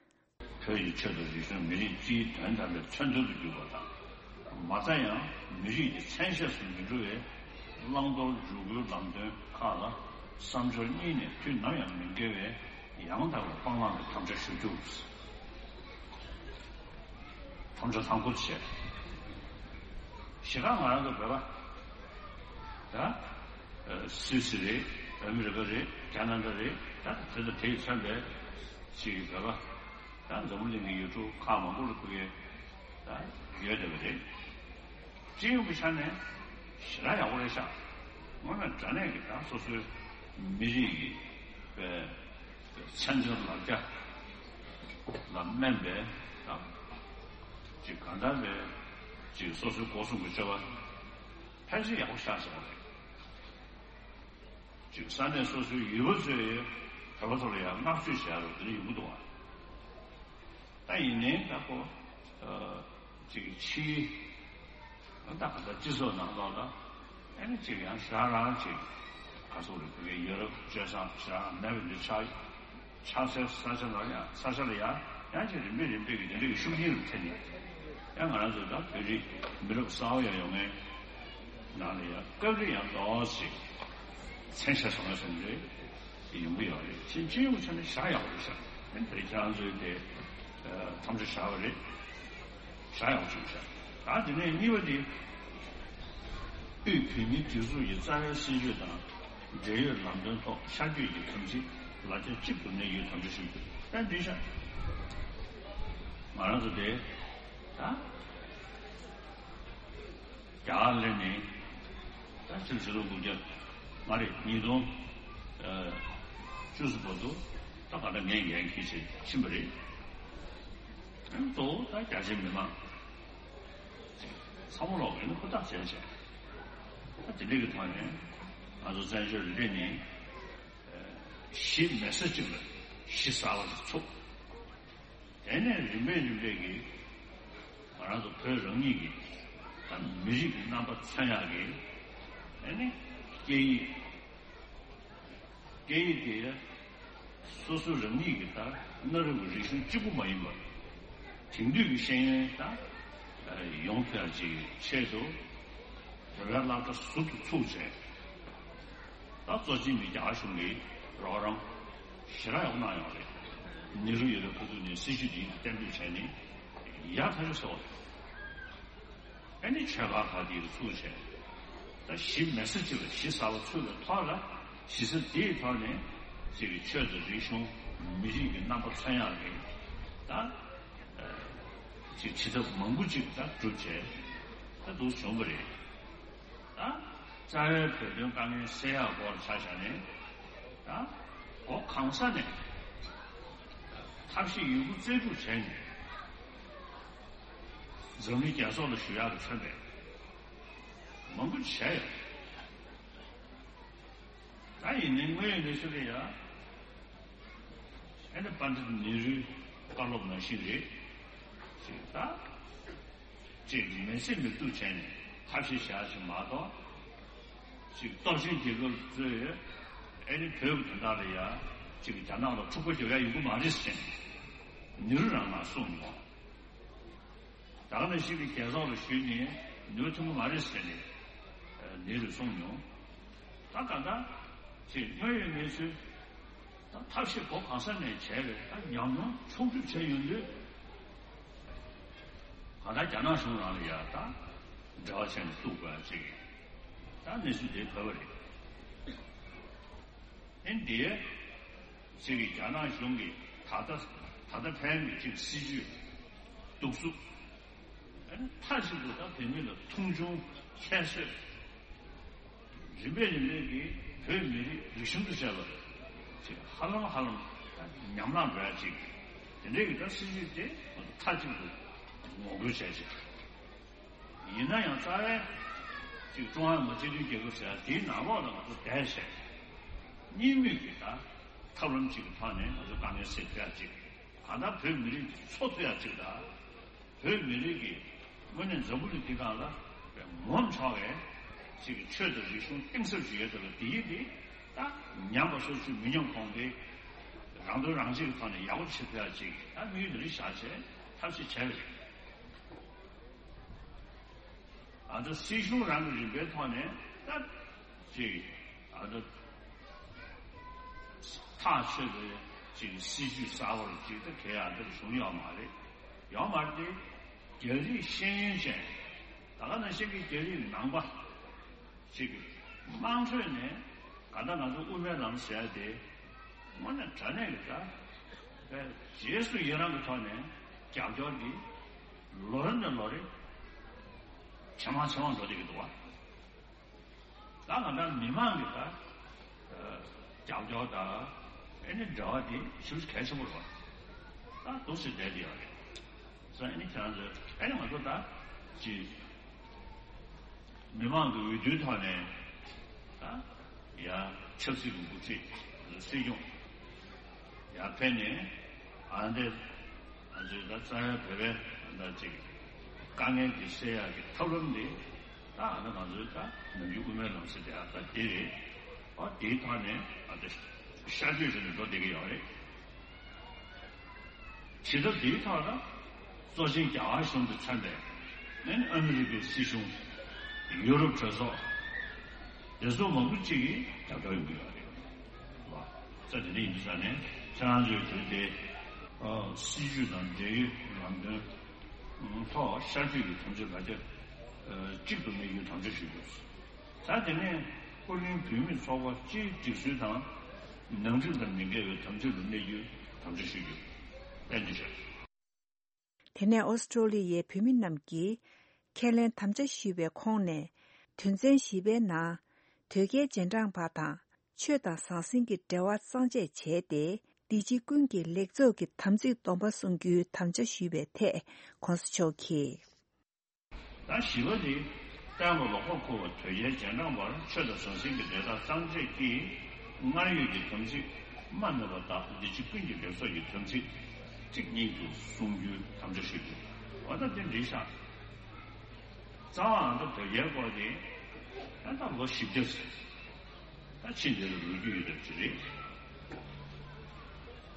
བོད་ཀྱི་ཆོས་དང་རིག་གཞུང་མི་རིགས་སྤྱིའི་དོན་དམ་པའི་མཚོན་དོན་དུ་གྱུར་པ་དང་། མ་རྩ་ཡང་མི་རིགས་ཀྱི་མཚན་ཤས་སུ་མི་འགྲོ་བའི་བླང་དོར་འཇུག་སྒོའི་ལམ་སྟོན་ཁག་ལ་བསམ་སྦྱོར་གཉིས་ནས་དུས་ནམ་ཡང་མི་འགལ་བའི་ཡང་དག་པའི་སྤང་བླང་གི་དམ་བཅའ་ཞུ་རྒྱུ། དམ་བཅའ་དང་པོ་བྱས། ཞེ་དྲག་ང་རང་ཚོ་བོད་པ། ད། སུད་སི་རེད། ཨ་མི་རི་ཀ་རེད། ཁ་ན་ཌ་རེད། ད་དེ་ཚོ་དེས་མཚོན་པའི་ཅིག་བོད་པ། ད་འཛམ་བུ་གླིང་གི་ཡུལ་གྲུ་ཁག་མང་པོ་ལ་ཕ་གིར་ད་ཡོད་བསྡད་པ་རེད། སྤྱི་ཡོངས་ཀྱི་ཆ་ནས་ཞེ་དྲག་ཡག་པོ་རེད་ཤག་དངོས་གནས་དྲང་གནས་ཀྱི་ད་སོ་སོའི་མི་རིགས་ཀྱི་པའི་མཚན་ལྗོངས་ལ་རྒྱ་ལ་སྨན་པའི་དང་། ཅིག་གང་ལྟར་བའི་ཅིག་སོ་སོའི་སྒོ་གསུམ་གྱི་སྤྱོད་པ་ཕལ་ཆེར་ཡག་པོ་ཤར་སོང་བ་རེད། ཅིག་ས་གནས་སོ་སོའི་ཡུལ་པ་ཚོས་བོད་པ་ཚོ་ལ་ཡང་བསྔགས་བརྗོད་བྱེད་ཡག་རུ་དེ་འདྲ་ཡོང་གི་འདུག་བ། ད་ཡིན་ནའི་ད་ཁོ་ཅིག་ཕྱིའི་ད་ག་ད་སྤྱི་ཚོགས་ནང་ལོགས་ལ་ ཨ་ནི་གཅིག་ཡང་ཞེ་དྲག་རང་གཅིག་ག་སོགས་རེད། བོད་སྐད་ཡོད་རབས་སྤྱོད་བཟང་ཞེ་དྲག་མེད་པ་འདི་ཆགས། ཆགས་སའི་ས་ཆ་ལ་ཡང་ས་ཆ་ལ་ཡང་ཡང་ཅིག་རིམ་པས་རིམ་པས་ཀྱི་དེ་འདྲའི་ཤུགས་རྐྱེན་རུ་ཐེབས་ནས། ཡང་ང་རང་ཚོ་ད་བོད་རིགས་མི་རབས་གསར་པ་ཡང་ཡོང་མཁན་ནང་ལ་ཡང་སྐབས་རེ་ཡང་ཏོག་ཙམ་མཚན་ཆ་བཟང་བཟང་རེ་ཡོང་གི་ཡོད་རེད། ཕྱིན་ཆད་ཡོང་ཆ་ནས་བཞག་ཡག་རེད་ཤག་ཨ་ནི་དེ་ཁྱེད་རང་ཚོའི་དེ་ཐམས་ཅད་བཞག་པ་རེད། བཞག་ཡག་བྱུང་ཤག་ད་དེ་ནས་གཉིས་པ་དེ། དབུས་བོད་མིའི་སྒྲིག་འཛུགས་ཀྱི་རྩ་བའི་སྲིད་བྱུས་དང་འབྲེལ་ཡོད་ལམ་སྟོན་ཐོག་ཤར་བསྐྱོད་ཀྱི་དམ་ཚིག་ལག་ཆ་གཅིག་ཏུ་གནས་རྒྱུའི་དམ་བཅའ་ཞུ་རྒྱུ་ཏན་ཏིག་ཤག་ང་རང་ཚོ་དེ་ད་རྒྱ་གར་སླེབས་ནས་ད་ཕྱི་ལོ་ཆིག་སྟོང་དགུ་བརྒྱ་མ་རེད་ཉིས་སྟོང་བཅུ་གསུམ་བར་དུ་ད་ག་ད་ངས་འགན་འཁྱེར་བྱས་ཕྱིན་པ་རེད། གཙོ་བོ་ད་རྒྱ་ཆེའི་མི་མང་ཚང་མ་ལོག་གིན་ཧུར་ཐག་བྱས་བྱས། ད་དེ་འདྲ་གི་ཐོག་ནས་ང་ཚོ་བཙན་བྱོལ་ལ་སླེབས་ནས་གཞི་མེད་ས་གཅིག་ལ་གཞི་གསར་པ་ཞིག་ཚུགས། དེ་ནས་རིམ་པས་རིམ་པས་ཀྱིས་ང་རང་ཚོ་བོད་རང་ཉིད་ཀྱི་ད་མི་རིགས་ཀྱི་རྣམ་པ་མཚོན་ཡག་གི་དེ་ནས་སྐད་ཡིག་སྐད་ཡིག་དེ་སོ་སོ་རང་ཉིད་ཀྱི་ད་གནའ་རབས་ཀྱི་རིག་གཞུང་གཅིག་པུ་མ་ཡིན་པར་དེང་དུས་ཀྱི་ཤེས་ཡོན་ད་ཡོང་ཐུབ་ཡག་ཅིག་ཆེད་དུ་བོད་པའི་སློབ་གྲྭ་ཟུར་དུ་ཚུགས་བྱས། ད་གཙོ་ཆེན་གྱི་རྒྱ་གར་གཞུང་གིས་རོགས་རམ་ཞེ་དྲག་ཡག་གནང་ཡོད་རེད། ནེ་རུ་ཡོད་པའི་ཁོ་ཚོ་ནས་སྲིད་ཇུས་འདི་གཏན་འབེབས་བྱས་ནས་ཡག་ཐག་ཆོད་ཟེར་བ་རེད། ཨ་ནི་ཆོལ་ཁ་ཁག་འདི་ཚུགས་བྱས། ད་གཞི་མེད་ས་གཅིག་ལ་གཞི་གསར་པ་ཚུགས་པའི་ཐོག་ལ་གཞི་རྩ་འདིའི་ཐོག་ནས་ཅིག་གི་ཆོས་དང་རིག་གཞུང་མི་རིགས་ཀྱི་རྣམ་པ་མཚོན་ཡག་གི་ད་ཅིག་བྱེད་ཐབས་མང་པོ་ཅིག་ད་བསྒྲུབས་བྱས་ད་འདུག་བྱུང་བ་རེད། ད་རྩ་བའི་བོད་དོན་དཀའ་ངལ་སེལ་ཡག་སྐོར་ཆ་བཞག་ནས་ད་གོ་གང་ས་ནས་ཐབས་ཤེས་ཡོད་རྒུ་རྩལ་སྤྲུགས་བྱས་ནས་འཛམ་གླིང་རྒྱལ་ཚོགས་ལ་ཞུ་ཡག་གི་མཚོན་པའི་མང་པོ་བྱས་ཡོད། ད་ཡིན་ནའི་དངོས་ཡོད་གནས་ཚུལ་ལ་ཡ་ཨེ་ནི་པཎྜི་ཏ་ནེ་རུའི་བཀའ་སློབ་ནང་བཞིན་རེད་ཅེས་ད། ཅེས་མི་སེམས་མི་གཏུག་བྱས་ནས་ཐབས་ཤེས་བྱ་ཞིག་མ་གཏོགས། ཅིག་སྟོབས་ཆེན་རྒྱལ་ཁབ་ཚོས་ཨེ་ནི་བོད་ཀྱི་དོན་དག་ལ་ཡ་ཅིག་རྒྱ་ནག་ལ་འཁྲུག་པ་རྒྱག་ཡ་ཡོང་གི་མ་རེད་ཟེར་ནས་ནེ་རུ་རང་ལ་གསུངས་མྱོང་། ད་ག་ནང་བཞིན་གྱི་རྒྱལ་ཚོགས་ལ་ཞུས་ནས་ནེ་རུ་ཐུབ་ཀྱི་མ་རེད་ཟེར་ནས་ནེ་རུས་གསུངས་མྱོང་། ད་ག་ད་ཅིག་དངོས་ཡོད་གནས་ཚུལ། ད་ཐབས་ཤེས་གོ་གང་ས་ནས་བྱས་པས་ད་ཉམས་མྱོང་ཕྱོགས་བསྒྲིགས་བྱས་ཡོང་དུས། གང་ལྟར་རྒྱ་ནག་གཞུང་རང་ལ་ཡ་ད་འབྲེལ་བ་བྱས་ནས་གཏུག་དགོས་ཡ་ཅིག་ད་གནས་ཚུལ་དེ་བབས་པ་རེད། ཨེ་འདིའི་ཅིག་གི་རྒྱ་ནག་གཞུང་གིས་ད་ལྟ་ད་ལྟ་ཕན་གྱི་ཅིག་སྲིད་ཇུས་གཏུག་གཟུགས། ཨེ་མཐའ་གཅིག་ཏུ་ད་བོད་མི་ལ་མཐོང་ཆུང་ཁྱད་གསོད། རིམ་པས་རིམ་པས་ཀྱིས་བོད་མི་རིགས་རིག་གཞུང་དུ་བྱས་པ་ཅིག་ཧ་ལམ་ཧ་ལམ་ཉམས་བླངས་འགྲོ་ཡ་ཅིག་དེ་འདྲའི་གི་ད་སྲིད་ཇུས་དེ་མཐའ་གཅིག་ཏུ་ངོ་རྒོལ་བྱས་ཅིག་ཡིན་ན་ཡང་རྩ་བའི་ཅིག་ཀྲུང་ཧྭ་མི་དམངས་སྤྱི་མཐུན་རྒྱལ་ཁབ་ཟེར་ཡ་དེའི་ནང་ལོགས་ལ་ང་ཚོ་བསྡད་བྱས་གཉིས་མོས་ཀྱི་ད་ཐབས་ལམ་ཅིག་གི་ཐོག་ནས་ང་ཚོ་དཀའ་ངལ་སེལ་ཐུབ་ཡ་ཅིག་གང་ལྟར་བོད་མི་རིགས་འཚོ་ཐུབ་ཡ་ཅིག་ད། བོད་མི་རིགས་ཀྱི་དངོས་གནས་འཛམ་བུ་གླིང་འདི་སྒང་ལ་ངོམ་ཆོག་པའི་ཅིག་གི་ཆོས་དང་རིག་གཞུང་གཏིང་ཟབ་ཅིག་ཡོད་དེ་ལ་དེ་ཡིན་དེ་ད་ཉམས་པ་སོར་ཆུད་མི་ཉམས་གོང་འཕེལ་རང་དོན་རང་གཅེས་ཀྱི་ཐོག་ནས་ཡག་པོ་བྱེད་ཐུབ་ཡ་ཅིག་ད་དམིགས་ཡུལ་དེ་འདྲ་བཞག་བྱས་ཐབས་ཤེས་བྱས་པ་རེད། ཨ་ད་སྲིད་གཞུང་རང་གི་རིམ་པའི་ཐོག་ནས་ད་ཅིག་ཨ་ད་ཐག་ཆོད་པའི་ཅིག་སྲིད་ཇུས་གསར་པ་ཅིག་ད་གལ་ཨ་ད་བྱུང་ཡོད་མ་རེད། ཡོད་མ་རེད་དེ་རྒྱ་རིགས་ཤེས་ཡོན་ཅན་ད་ག་ནང་བཞིན་གྱི་རྒྱ་རིགས་ནང་པ་ཅིག་དམངས་ཁྲོད་ནས་ག་ད་ང་ཚོ་དབུ་མའི་ལམ་ཟེར་ཡ་དེ་དངོས་གནས་དྲང་གནས་ཀྱི་ད་རྗེས་སུ་ཡི་རང་གི་ཐོག་ནས་རྒྱབ་སྐྱོར་འདི་ལོ་རེ་ནས་ལོ་རེ་ཇེ་མང་ཇེ་མང་འགྲོ་བསྡད་ཀྱི་འདུག་བ། ད་ང་ཚོ་མི་མང་གི་ད་རྒྱབ་སྐྱོར་དང་ཨེ་ནི་འབྲེལ་བ་དེ་ཞེ་པོ་ཅིག་གལ་ཆེན་པོ་རེད་བ། ད་འདུག་སེ་བསྡད་དེ་ཡོད་རེད། སོ་ཨེ་ནི་ཁྱེད་རང་ཚོ་ཨེ་ནི་ང་ཚོ་ད་ཅི་མི་མང་གི་འོས་བསྡུའི་ཐོག་ནས་ད་ཡ་ཆབ་སྲིད་ཀྱི་འགོ་ཁྲིད་སྲིད་སྐྱོང་ཡར་ཕེབས་ནས་ཨ་འདི་ང་ཚོའི་ད་རྩ་བའི་བོད་པའི་ད་ཅིག་དཀའ་ངལ་འདི་སེལ་ཡག་གི་ཐབས་ལམ་འདི་ ད་ཨ་ནི་ང་ཚོའི་ད་ནམ་རྒྱུན་དབུ་མའི་ལམ་ཟེར་དེ་ཨ་ད་དེ་རེད། ཨ་དེའི་ཐོག་ནས་ཨ་ད་ཤར་བསྐྱོད་བྱས་ནས་འགྲོ་བསྡད་ཀྱི་ཡོད་རེད། ཇི་ལྟར་དེའི་ཐོག་ལ་གཙོ་ཆེན་རྒྱ་གར་གཞུང་དུ་མཚོན་པའི་ཨ་ནི་ཨ་མི་རི་ཀའི་སྲིད་གཞུང་། ཡུ་རོབ་གྲོས་ཚོགས། དེ་ཚོ་མང་པོ་ཅིག་གིས་རྒྱབ་སྐྱོར་ཡོང་གི་ཡོད་རེད། ཙ་དེ་འདྲ་ཡིན་དུས་ཙང་ནས་ཁྱེད་རང་ཚོའི་དོན་དེ་སྲིད་ཇུས་དང་འབྲེལ་ཡོད་ལམ་སྟོན་ཐོག་ཤར་བསྐྱོད་ཀྱི་དམ་ཚིག་ག་ཚོད་གཅིག་ཏུ་གནས་རྒྱུའི་དམ་བཅའ་ཞུ་དགོས། ད་དེ་ནས་ཨོ་གླིང་བོད་མིའི་ཚོགས་པ་སྤྱིའི་སྒྲིག་སྲོལ་དང་ནང་ཁྲིམས་དང་མི་འགལ་བའི་དམ་ཚིག་ཏུ་གནས་རྒྱུའི་དམ་བཅའ་ཞུ་རྒྱུ་གཏན་འཁེལ་བྱས། དེ་ནས་ཨོ་སི་ཀྲོ་ལི་ཡའི་བོད་མི་རྣམས་ཀྱིས་ཁས་ལེན་དམ་བཅའ་ཞུས་པའི་ཁོངས་ནས། དོན་ཚན་བཞི་པའི་ནང་། དོལ་རྒྱལ་རྗེས་འབྲང་པ་དང་ཆོས་དང་ཟང་ཟིང་གི་འབྲེལ་བ་གཙང་བཅད་བྱས་ཏེ། སྡེ་སྤྱི་ཀུན་གྱི་ལེགས་ཚོགས་ཀྱི་དམ་ཚིག་སྡོམ་པ་སྲུང་རྒྱུའི་དམ་བཅའ་ཞུས་པའི་ཐད་༸གོང་ས་མཆོག་གིས། ད་བཞི་པ་དེ་བསྟན་པ་ལོག་པར་འཁུར་བ་དོལ་རྒྱལ་རྗེས་འབྲང་བར་ཆོས་དང་ཟང་ཟིང་གི་འབྲེལ་ཐག་གཙང་བཅད་ཀྱིས་སྔར་ཡོད་ཀྱི་དམ་ཚིག་རྨ་མེད་པ་དག་སྡེ་སྤྱི་ཀུན་གྱི་ལེགས་ཚོགས་ཀྱི་དམ་ཚིག་གཅིག་ཉིད་དུ་སྲུང་རྒྱུའི་དམ་བཅའ་ཞུ་རྒྱུ། འོ་ད་དེ་འགྲིག་ཤག་རྩ་བའང་ད་དོལ་རྒྱལ་སྐོར་དེ་ད་ད་ལོ་བཞི་བརྒྱ་ད་ཕྱིན་དེ་ལ་ལོ་རྒྱུས་ཡོད་པ་ཅིག་རེད།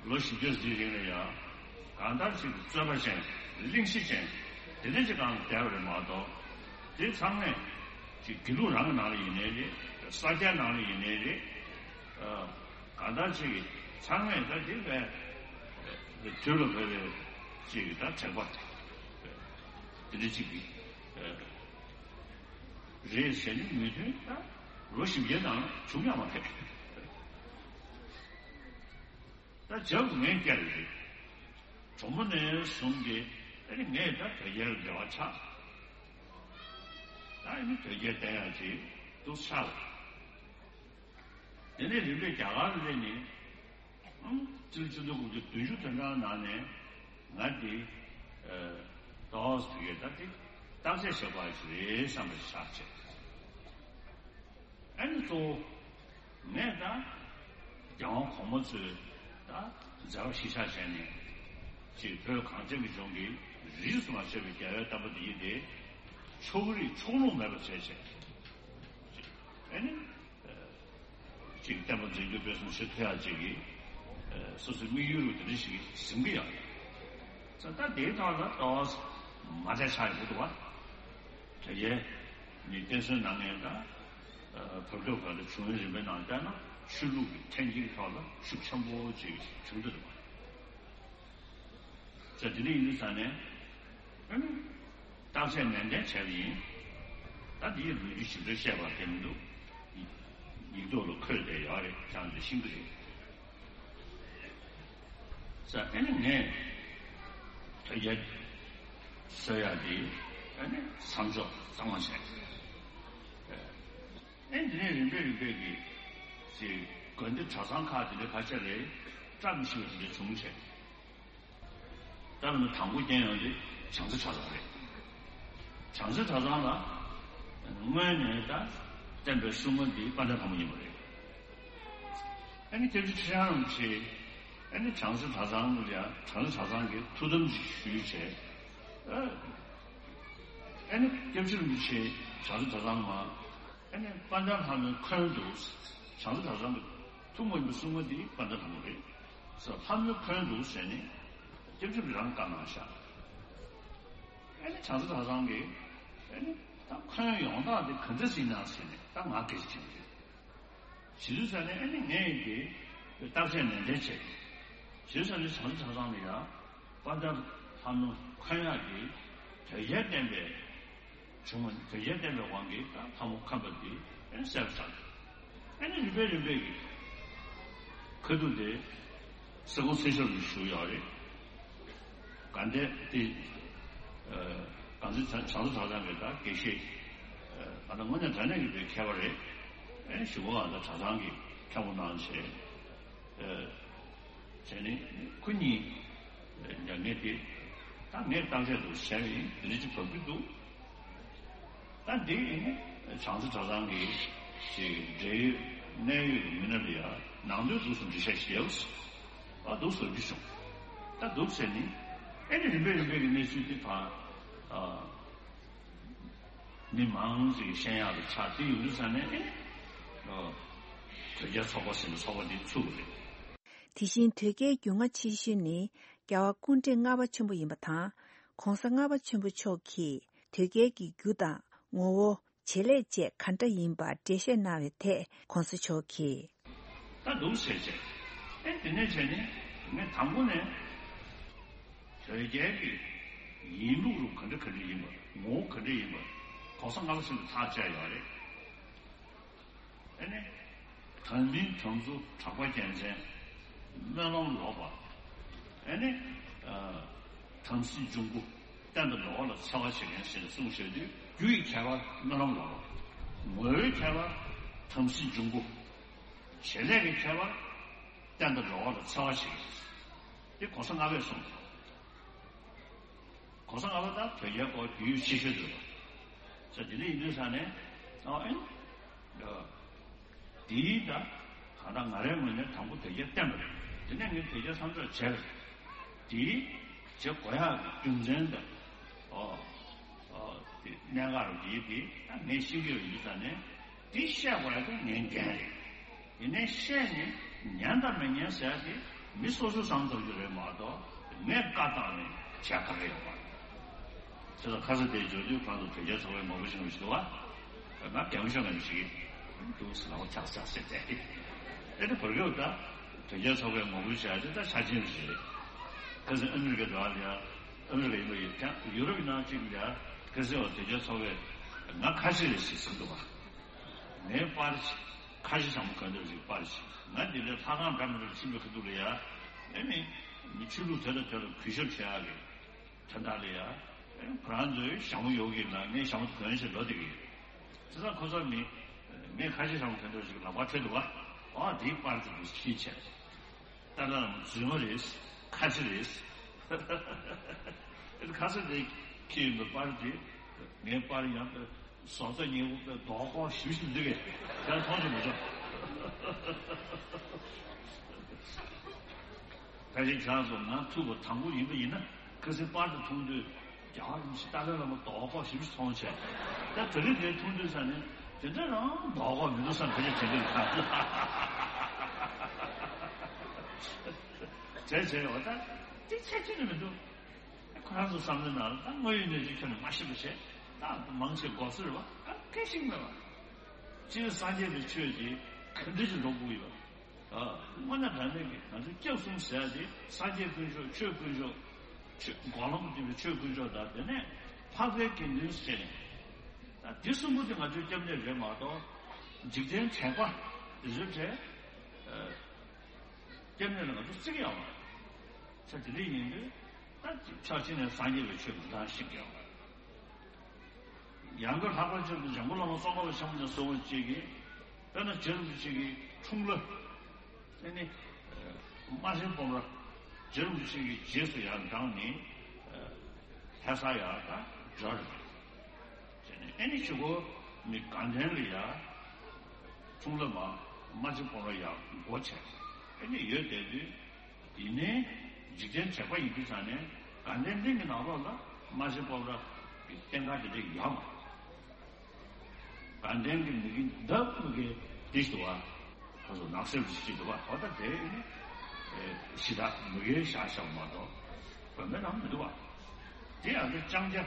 ལོ་བཞི་བརྒྱ་ཟིན་རིང་ལ་ཡང་གང་ལྟར་ཅིག་རྩོད་པ་ཅན། གླེང་གཞི་ཅན། དེ་འདྲ་ཅིག་སྒང་ལ་བསྡད་པ་རེད་མ་གཏོགས། དེ་ཚང་མས་ཅིག་དགེ་ལུགས་རང་གི་ནང་ལ་ཡིན་ནའི་རེད། ས་སྐྱ་ནང་ལ་ཡིན་ནའི་རེད། ཨ། གང་ལྟར་ཅིག་ཚང་མས་ད་དེ་བས་དུས་ལ་བབ་པའི་ཅིག་ད་དྲེགས་པ་དེ་འདྲ་ཅིག་གི་རེད་ཟེར་ནས་མོས་མཐུན་ད་ལོ་བཞི་བརྒྱའི་ནང་བྱུང་ཡང་མ་ཕེབས། ད་རྒྱབ་ངས་བསྐྱལ་རེད། གྲོགས་མོ་ནས་བཟུང་སྟེ་ཨ་ནི་ངས་ད་དོལ་རྒྱལ་འབྲེལ་བ་ཆགས། ད་ཨ་ནི་དོལ་རྒྱལ་བསྟེན་ཡག་ཅིག་འདུག་ཆགས་ལ། དེ་ནས་རིམ་པས་རྒྱ་གར་སླེབས་ནས་ཨང་སྤྱི་ལོ་ཆིག་སྟོང་དགུ་བརྒྱ་བདུན་ཅུ་དོན་གྲངས་ནང་ནས་ང་འདི་ཏོག་ཙམ་དེ་གའི་ད་དེ་བརྟག་དཔྱད་བྱེད་དགོས་ཡག་ཅིག་རེད་བསམ་པ་ཞིག་ཆགས་བྱས། ཨ་ནི་གཙོ་བོ། ངས་ད་རྒྱལ་དབང་གོང་མ་ཚོའི་ད་མཛད་པ་གཞིར་བཞག་བྱས་ནས་ཅིག་བོད་གངས་ཅན་གྱི་ལྗོངས་ཀྱི་རིས་སུ་མ་ཆད་པའི་རྒྱལ་བའི་བསྟན་པ་འདི་ཡིན་ཏེ། ཕྱོགས་རིས་ཕྱོགས་ལྷུང་མེད་པར་བྱས་བྱས། ཨ་ནི་ཅིག་བསྟན་པ་འཛིན་སྐྱོང་སྤེལ་གསུམ་བྱེད་ཐུབ་ཡག་ཅིག་གི་སོ་སོའི་དམིགས་ཡུལ་རུ་དེ་འདྲ་ཞིག་ཟིན་གྱི་ཡོད། ད་ལྟ་དེའི་ཐོག་ལ་ཏོག་ཙམ་མ་བདེ་ཆགས་ཡོང་གི་འདུག་བ། དེ་ཡས་ནི་བསྟན་སྲུང་གནང་མཁན་དང་། བོད་སྐྱོབ་ག་ལ་བྱུང་བའི་རིམ་པའི་ནང་བལྟས་ན་ཆོས་ལུགས་ཀྱི་འཐེན་འཁྱེར་ཐོག་ལ་ཤུགས་ཆེན་པོ་ཅིག་བྱུང་འདུག་ཟེར། དེ་འདྲ་ཡིན་དུས་ཙང་ནས་ཨ་ནི་བརྟག་དཔྱད་ནན་ཏན་བྱས་པ་ཡིན། ད་དེའི་ལོ་རྒྱུས་ཞིབ་ཕྲ་བཤད་པ་དེ་མི་འདུག་ཡིག་ཐོག་ལ་འཁོད་བསྡད་ཡོད་རེད། ཁྱེད་རང་ཚོས་ཤེས་ཀྱི་རེད། ས་ཨ་ནི་ངས་དོལ་རྒྱལ་ཟེར་ཡག་དེ་ཨ་ནི་མཚམས་འཇོག་གཙང་མ་བྱས། ཨ་ནི་དེ་ནས་རིམ་པས་རིམ་པས་ཀྱི་ཅིག་དགོན་སྡེ་གྲྭ་ཚང་ཁག་དེ་འདྲ་ཁ་ཤས་ལ་བཀྲ་མི་ཤིས་པ་དེ་འདྲ་བྱུང་བྱས། ད་ལྟ་དང་པོ་རྐྱེན་ཡོང་དེ་བྱང་རྩེ་གྲྭ་ཚང་རེད། བྱང་རྩེ་གྲྭ་ཚང་ལ་སྔོན་ནས་ད་བསྟན་པའི་སྲུང་མ་འདི་དཔལ་ལྡན་ལྷ་མོ་ཡིན་པ་རེད། ཨ་ནི་སྐྱབས་རྗེ་ཁྲི་བྱང་རིན་པོ་ཆེ་ཨ་ནི་བྱང་རྩེ་གྲྭ་ཚང་ལ་ཡང་བྱང་རྩེ་གྲྭ་ཚང་གི་ཐུགས་དམ་ཞིག་ཞུས་བྱས། ཨ་ནི་སྐྱབས་རྗེ་རིན་པོ་ཆེ་བྱང་རྩེ་གྲྭ་ཚང་མ་ཨ་ནི་དཔལ་ལྡན་ལྷ་མོའི་འཁོན་དུ་བྱང་རྩེ་གྲྭ་ཚང་གི་ཐུགས་དམ་པའི་སྲུང་མ་འདི་དཔལ་ལྡན་ལྷ་མོ་རེད། ས་ལྷ་མོའི་འཁོན་དུ་ཟེར་ནས་སྐྱབས་རྗེ་རང་བཀའ་གནང་ཤག་ཨ་ནི་བྱང་རྩེ་གྲྭ་ཚང་གིས་ཨ་ནི་ད་འཁོན་ཡོང་སྟངས་དེ་ག་འདྲ་ཞིག་ན་ཟེར་ནས་ད་ང་སྐད་ཆ་དྲིས་པ་རེད། ཇི་ལྟར་ཟེར་ན་ཨ་ནི་ངས་ཀྱི་བརྟག་དཔྱད་ནན་ཏན་བྱས། ཇི་ལྟར་ཟེར་ན་བྱང་རྩེ་གྲྭ་ཚང་ལ་ཡང་དཔལ་ལྡན་ལྷ་མོ་འཁོན་ཡག་གི་དོལ་རྒྱལ་བསྟན་པའི་བྱུང་བ་དོལ་རྒྱལ་བསྟན་པའི་དབང་གིས་ད་ལྷ་མོ་འཁོན་པ་འདི་ཨ་ནི་གསལ་པོ་ཆགས། ཨ་ནི་རིམ་པས་རིམ་པས་ཀྱི་ཁ་ཐུག་དེ་སེ་གོང་ཚེ་ཤོར་གྱིས་ཞུས་ཡོད་རེད། དགའ་ལྡན་དེ་ཨ་དགའ་ལྡན་བྱང་རྩེ་གྲྭ་ཚང་གི་ད་དགེ་བཤེས་ཨ་ད་དངོས་གནས་དྲང་གནས་ཀྱི་པའི་མཁས་པ་རེད། ཨ་ནི་ཞུ་བ་ཨ་ད་གྲྭ་ཚང་གི་མཁན་པོ་གནང་བྱས། ཨ་བྱས་ནས་ཁོ་གཉིས་ཉམས་ཉེས་དེ་ད་ངས་བརྟག་དཔྱད་དུ་བྱས་པ་ཡིན། དེ་འདྲ་ཅིག་བབས་ཀྱི་འདུག་ད་འདི་ཡིན་ནི་བྱང་རྩེ་གྲྭ་ཚང་གི་ཅིག་འབྲེལ་ཡོད་གནད་ཡོད་ཀྱི་མི་སྣ་ལ་ཡ་ནང་དོན་འདུག་སེ་འགྲེལ་བཤད་ཞིག་ཡོད། ཨ་འདུག་ཟེར་རྒྱུ་བྱུང་། ད་འདུག་ཟེར་ནི་ཨེ་ནི་རིམ་པས་རིམ་པས་ཀྱི་གནས་ཚུལ་འདི་དང་ཨ་ མི་མང་ཞིག་ཤེས་ཡག་ལ་ཆགས་དེ་ཡོང་དུས་ཙང་ནས་ཨེ། ཨོ། དོལ་རྒྱལ་ཚོགས་པ་ཟེར་བའི་ཚོགས་པ་འདི་ཚུགས་པ་རེད། དེ་བཞིན་དོལ་རྒྱལ་རྒྱུས་མངའ་ཆེ་ཤོས་ནི་རྒྱལ་བ་སྐུ་ཕྲེང་ལྔ་པ་ཆེན་པོ་ཡིན་པ་དང་། ༸གོང་ས་ལྔ་པ་ཆེན་པོ་མཆོག་གིས་དོལ་རྒྱལ་གྱི་རྒྱུ་དང་ངོ་བོ། བྱེད་ལས་བཅས་ག་འདྲ་ཡིན་པ་འགྲེལ་བཤད་གནང་བའི་ཐད་༸གོང་ས་མཆོག་གིས། ད་འདུག་ཟེར་བྱས། ཨེ་དེ་ནས་བྱས་ནས་ངས་དང་པོ་ནས་དོལ་རྒྱལ་གྱི་ཡིན་ལུགས་རུ་ག་འདྲ་ག་འདྲ་ཡིན་པ་ངོ་བོ་ག་འདྲ་ཡིན་པ་༸གོང་ས་ལྔ་པ་ཆེན་པོས་ཐག་བཅད་ཡོད་རེད། ཨེ་ནས། དམ་མིན་དམ་ཚུགས་གྲགས་པ་རྒྱལ་མཚན། སྨོན་ལམ་ལོག་པ། ཨེ་ནས། ཨ། དམ་སྲི་འབྱུང་པོ། གཏན་དུ་འགྲོ་བ་ལ་འཚེ་བ་བྱེད་མཁན་ཞེས་གསུངས་བཞག་དུས་རྒྱུ་ཡི་ཁྱད་པར་སྨོན་ལམ་ལོག་པ། ངོ་བོའི་ཁྱད་པར་དམ་སྲི་འབྱུང་པོ། བྱེད་ལས་ཀྱི་ཁྱད་པར་གཏན་དུ་འགྲོ་བ་ལ་འཚེ་བ་བྱེད་མཁན། འདི་༸གོང་ས་ལྔ་པས་གསུངས་སོང་། ༸གོང་ས་ལྔ་པ་དང་དོལ་རྒྱལ་སྐོར་རྒྱུས་ཡོད་ཆེ་ཤོས་དེ་རེད་པ། ས་དེ་འདྲ་ཡིན་དུས་ས་ནས་ཨ་ཨེ། འདིའི་ད་གང་ལྟར་ང་རའི་ངོས་ནས་དང་པོ་དོལ་རྒྱལ་བསྟེན་པ་རེད། དེ་ནས་ངས་དོལ་རྒྱལ་མཚམས་འཇོག་བྱས་པ་རེད། དེའི་བྱེད་དགོས་ཡག་གི་རྒྱུ་མཚན་དང་། ཨོ། ཨོ། དེ་གནད་འགག་རུ་དེའི་དེ་ད་ངས་ཤེས་ཀྱི་ཡོད་དུས་ས་ནས་དེ་བཤད་དགོས་ཡག་དེ་ངའི་འགན་རེད། ཡིན་ནའི་བཤད་ནས་ཉན་དང་མི་ཉན་ཟེར་ཡ་དེ་མི་སོ་སོས་བསམ་ཐུབ་རྒྱུ་རེད་མ་གཏོགས་ངས་བཀའ་བཏང་ནས་བྱས་ག་གེ་ཡོད་མ་རེད། ཁ་ས་དེ་འབྱོར་དུས་གང་དུ་དོལ་རྒྱལ་ཚོགས་པའི་ངོ་བོ་ཞིག་ཞིག་འདུག་བ། ང་རྒན་མོ་ཤོག་ངན་ཞིག་འདུག་ཟེར་ལ་ཆག་ཆག་ཟེར་ཏེ། ཨེ་དེ་བར་སྐབས་ད་དོལ་རྒྱལ་ཚོགས་པའི་ངོ་བོ་བྱས་ཏེ་ད་ཆ་ཆེན་ཞིག་རེད། ཁ་སང་ཨ་མི་རི་ཀ་འགྲོ་བ་ལ་ཡ་ཨ་མི་རི་ཀ་ཡིན་པ་ཡོད་ཀྱང་ཡུ་རོབ་ནང་གཅིག་ལ་ཡ་ཁ་སང་བ་དོལ་རྒྱལ་ཚོགས་པའི་ང་ཁ་ཤས་རེད་ཞེས་གསུངས་འདུག་བ། ངའི་པར་ཅིག་ཁ་ཤས་ཚང་མ་ག་འདྲ་ཞིག་པར་ཅིག་ང་འདི་ལས་ལྷ་ཁང་འདྲ་མི་འདྲ་ཕྱིན་པའི་ཁ་ཐུག་ལ་ཡ། ཨེ་ནི། མི་ཆོས་ལུགས་དེ་དང་དེ་ལ་གུས་ཞབས་བྱེད་ཡག་གི་དོན་དག་ལ་ཡ། ཨེ་ཁོ་རང་ཚོའི་ཞྭ་མོ་ཡོད་གི་ལ་ངས་ཞྭ་མོ་དེ་གོན་བྱས་འགྲོ་བསྡད་གི་ཡོད། དེ་ཚོ་ཁོ་ཚོ་མི། ངས་ཁ་ཤས་ཚང་མ་ག་འདྲ་ཞིག་ལག་པར་འཁྱེར་འདུག་བ། ཨ་དེའི་པར་དེ་དུ་ཕྱིན་བྱས། ཏཱ་ལའི་བླ་མ་རྫུན་མ་རེད། ཁ་ཆེ་རེད། ཨེ་ཁ་ས་དེ་ཁྱེད་ཡིན་པའི་པར་དེ་ངའི་པར་ཡང་དེ། བཟོ་ལྟ་ཉེ་བོ་པའི་རྡོག་ཁོག་ཞིབ་ཞིབ་འདི་གས་ཡང་མཐོང་ཆེན་མི་འཇོག་ད་ཅིག་ཆང་སོང་ང་ཐུག་པ་དང་པོ་ཡིན་པ་ཡིན་ན་ཁ་སང་པར་དུ་མཐོང་དུས་རྒྱ་གར་མི་ཞིག་ཏཱ་ལའི་བླ་མ་རྡོག་ཁོག་ཞིབ་ཞིབ་མཐོང་བྱས་ད་དེ་རིང་དེ་མཐོང་དུས་ས་ནས་དེ་འདྲ་རང་རྡོག་ཁོག་མི་འདུག་བསམ་ཁ་ཅིག་དྲན་གྱི་འདུག་བྱས་བྱས་འོ་ད་དེ་ཆ་ཅི་ནས་མི་འདུག་ཁོ་རང་ཚོ་བསམ་བློའི་ནང་ལ་ད་དངོས་ཡོད་གནས་ཚུལ་ཁྱོན་ནས་མ་ཤེས་པ་བྱས་ད་མང་ཆེ་འགོག་སྲོལ་རེད་བ། ད་སྐད་ཤིག་མེད་བ། སྤྱིར་སངས་རྒྱས་པའི་ཆོས་ཀྱི་ག་འདྲ་ཞིག་འགྲོ་དགོས་ཡོད། ཨ། དངོས་གནས་དྲང་གནས་ཀྱི་ང་ཚོ་སྐྱབས་གསུམ་ཟེར་ཡ་དེ་སངས་རྒྱས་དཀོན་མཆོག་ཆོས་དཀོན་མཆོག་ཆོས་འགོག་ལམ་སྟོན་པའི་ཆོས་དཀོན་མཆོག་དང་དེ་ནས་འཕགས་པའི་དགེ་འདུན་ཟེར་ནས་ད་འདི་གསུམ་པོ་དེ་ང་ཚོའི་སྐྱབས་གནས་རེད་མ་གཏོགས་འཇིག་རྟེན་དྲེགས་པ་དེ་ཚོའི་གྲས། སྐྱབས་གནས་ལ་ང་ཚོ་བརྩི་གི་ཡོད་མ་རེད། ས་དེ་འདྲ་ཡིན་དུས་ད་ཕྱོགས་གཅིག་ནས་སངས་རྒྱས་པའི་ཆོས་ཀྱི་བདག་ཤེས་ཀྱི་ཡོད་མ་རེད། ཡང་སྒོས་ལྷག་པར་ཆེད་དུ་འཇམ་མགོན་བླ་མ་ཙོང་ཁ་པ་ཆེན་པོ་དང་གསུངས་པ་གཅིག་གིས་དཔེར་ན་རྗེ་རིན་པོ་ཆེ་གི་འཁྲུངས་ལྷ་ཨེ་ནི་རྨ་ཆེན་སྤོམ་ར་རྗེ་རིན་པོ་ཆེ་གི་རྗེས་སུ་ཡང་འབྲངས་ནས་ལྷ་ས་ཡར་ད་འབྱོར་རེད། བྱས་ནས་ཨེ་ནི་ཕྱི་གོ་མི་དགའ་ལྡན་ལ་ཡ་འཁྲུངས་ལྷ་མ་རྨ་ཆེན་སྤོམ་ར་ཡ་སྒོ་ཕྱེ་ཨེ་ནི་ཡོད་བསྡད་དུས། ཡིན་ནའི་འཇིག་རྟེན་དྲེགས་པ་ཡིན་དུས་ཙང་ནས་དགའ་ལྡན་གླིང་གི་ནང་ལོགས་ལ་རྨ་ཆེན་སྤོམ་ར་གི་རྟེན་ཁ་དེ་འདྲ་ཡོད་མ་རེད། དགའ་ལྡན་གྱི་མི་གི་འདབས་མི་གའི་འདི་ཞུ་བ་ཁ་སོ་ནགས་གསེབ་ཅིག་འདུག་བ། འོ་ད་དེ་ནི་ཞི་དྲག་མི་གའི་བཞག་བཞག་མ་གཏོགས་དགོན་པའི་ནང་མི་འདུག་བ། དེ་ཡང་དེ་ལྕང་སྐྱ་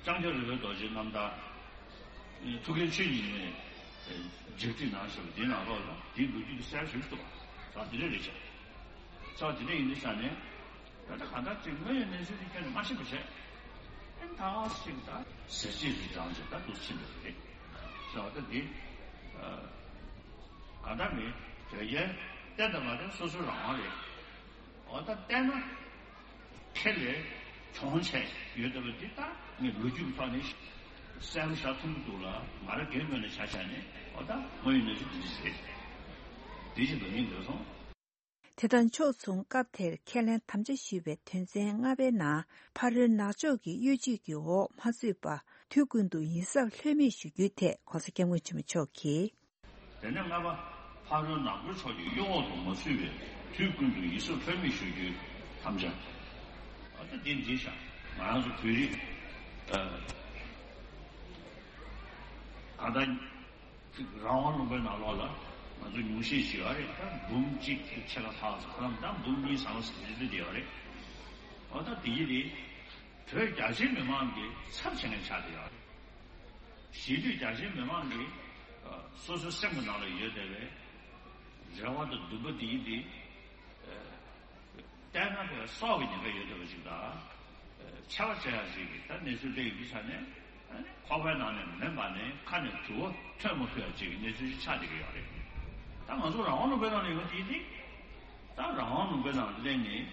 ལྕང་སྐྱ་རི་བོའི་རྡོ་རྗེ་རྣམ་དག་ཐུགས་ཀའི་ཆོས་ཉིད་ནས་འཇིག་རྟེན་ནང་ཞུ་བ་དེའི་ནང་ལོགས་ལ་དེའི་ལོ་རྒྱུས་དེ་གསལ་ཞིག་འདུག་བ། ད་དེ་འདྲ་རེད་ཤག་ཚ་དེ་འདྲ་ཡིན་དུས་ས་ནས་ད་ལྟ་གང་ལྟར་ཅིག་དངོས་ཡོད་གནས་ཚུལ་དེ་ཁྱོན་ནས་མ་ཤེས་པ་བྱས། ཨེ་ད་ཞིག་ད་ཟེར་བྱེད་ཀྱི་གྲངས་ཅིག་ད་འདུག་ཕྱིན་པ་རེད། ས་ད་འདི་གང་ལྟར་མི་དོལ་རྒྱལ་བསྟེན་དང་མ་བསྟེན་སོ་སོའི་རང་དབང་རེད། འོ་ད་བསྟེན་ན་ཁེ་ལས་གྱོང་ཆེ་ཡོད་བསྡད་པ་འདི་ད་ངས་ལོ་རྒྱུས་ཀྱི་ཐོག་ནས་གསལ་པོ་ཤར་ཐུབ་ཀྱི་འདུག་ལ་ང་རང་སྒེར་ངོས་ནས་ཆ་བཞག་ནས་འོ་ད་དངོས་ཡོད་གནས་ཚུལ་འདི་འདྲ་རེད། འདི་བཞིན་དུ་ཡིན་འདོད་སོང་། དེ་དང་ཕྱོགས་མཚུངས་སྐབས་དེར་ཁས་ལེན་དམ་བཅའ་ཞུས་པའི་དོན་ཚན་ལྔ་པའི་ནང་ཕ་རོལ་ནག་ཕྱོགས་ཀྱི་གཡོ་ཇུས་ཀྱི་འོག་མ་ཚུད་པ་དུས་ཀུན་ཏུ་ཡིད་གཟབ་ལྷོད་མེད་ཞུ་རྒྱུའི་ཐད་༸གོང་ས་༸སྐྱབས་མགོན་ཆེན་པོ་མཆོག་གིས། དེ་ནས་ལྔ་པ། ཕ་རོལ་ནག་པོའི་ཕྱོགས་ཀྱི་གཡོ་འོག་ཏུ་མ་ཚུད་པའི་དུས་ཀུན་ཏུ་ཡིད་གཟབ་ལྷོད་མེད་ཞུ་རྒྱུའི་དམ་བཅའ། ཨ་ད་འདི་འདི་བཞག་ང་རང་ཚོ་བོད་རིགས་ཨ་ ད་ལྟ་རང་དབང་ལུང་པའི་ནང་ལོགས་ལ་ང་ཚོ་ཉུང་ཤས་ཤིག་ཡོད་རེད། ད་འབུམ་གཅིག་གི་ཕྱེད་ཀ་ལྷག་ཙམ། ཁོ་རང་ད་འབུམ་གཉིས་ཟེར་བ་ཟེར་རེད་དེ་ཡོད་རེད། འོ་ད་དེ་ཡི་རེད། བོད་རྒྱ་ཆེའི་མི་མང་གི་ཚབ་བྱེད་མཁན་ཆགས་བསྡད་ཡོད་རེད། གཞིས་ལུས་རྒྱ་ཆེའི་མི་མང་གིས་སོ་སོའི་སེམས་ཀྱི་ནང་ལ་ཡོད་བསྡད་པའི་རེ་བ་དང་འདུན་པ་དེ་ཡིན་དེ། བལྟས་ན་དེ་སྲོག་གི་ཉེན་ཁ་ཡོད་བསྡད་པ་ཞིག་དང་། ཆེ་བ་ཆེ་ཡ་ཞིག་གིས་ད་གནས་ཚུལ་དེ་ཡིན་དུས་ཙང་ནས་ཁོག་པའི་ནང་ནས་མེ་འབར་ནས་ཁ་ནས་དུ་བ་ཐོན་མ་ཐུབ་ཡ་ཅིག་གི་གནས་ཚུལ་ཞིག་ཆགས་བསྡད་ཀྱི་ཡོད་རེད། ད་ང་ཚོ་རང་དབང་ལུང་པའི་ནང་ལ་ཡོང་དུས་དེ། ད་རང་དབང་ལུང་པའི་ནང་སླེབས་ནས་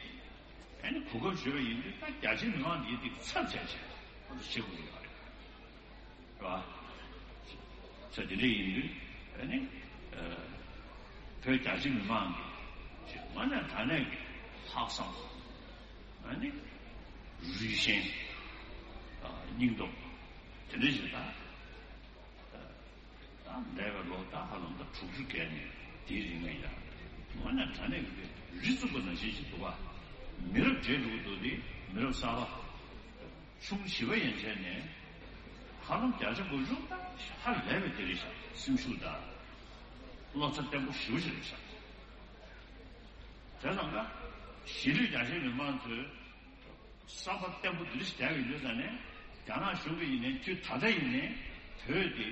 ཨ་ནི་གོ་སྐབས་ཞུས་པ་ཡིན་དུས་ད་རྒྱ་ཆེའི་མི་མང་འདིའི་སྟེང་ཚབ་བྱས་བྱས་ང་ཚོ་བྱེད་དགོས་ཀྱི་ཡོད་རེད། རེད་བ། ས་དེ་འདྲ་ཡིན་དུས་ཨ་ནི། བོད་རྒྱ་ཆེ་མི་མང་གི་ཅིག་དངོས་གནས་དྲང་གནས་ཀྱི་ལྷག་བསམ། ཨ་ནི། རུས་ཞེན། སྙིང་སྟོབས། དེ་འདྲ་ཞིག་དང་། ད་འདས་པའི་ལོ་ད་ཧ་ལམ་ད་དྲུག་ཅུ་བརྒལ་ནས་དེའི་རིང་ལ་ཡ། དངོས་གནས་དྲང་གནས་ཀྱི་རི་བཙུགས་པ་ནང་བཞིན་ཞིག་འདུག་བ། མི་རབས་བརྗེ་འགྲོ་གི་འདུག་དེ་མི་རབས་གསར་པ། ཆུང་བྱིས་པ་ཡན་ཆད་ནས་ཧ་ལམ་བརྒྱ་ཆ་དགུ་བཅུ་ད་ཧ་ལས་པའི་དེ་རེད་ཤག་སེམས་ཤུགས་དང་། བློ་རྩ་བརྟན་པོ་ཞེ་པོ་ཅིག་རེད་ཤག་དེ་ཙང་ཀ་གཞིས་ལུས་རྒྱ་ཆེའི་མི་མང་ཚོས་བསམ་པ་བརྟན་པོ་འདི་འདྲ་ཞིག་བསྡད་ཡོད་དུས་ཙང་ནས། རྒྱ་ནག་གཞུང་གིས་ཡིན་ནའི་དུས་ད་ལྟ་ཡིན་ནའི་བོད་དེ་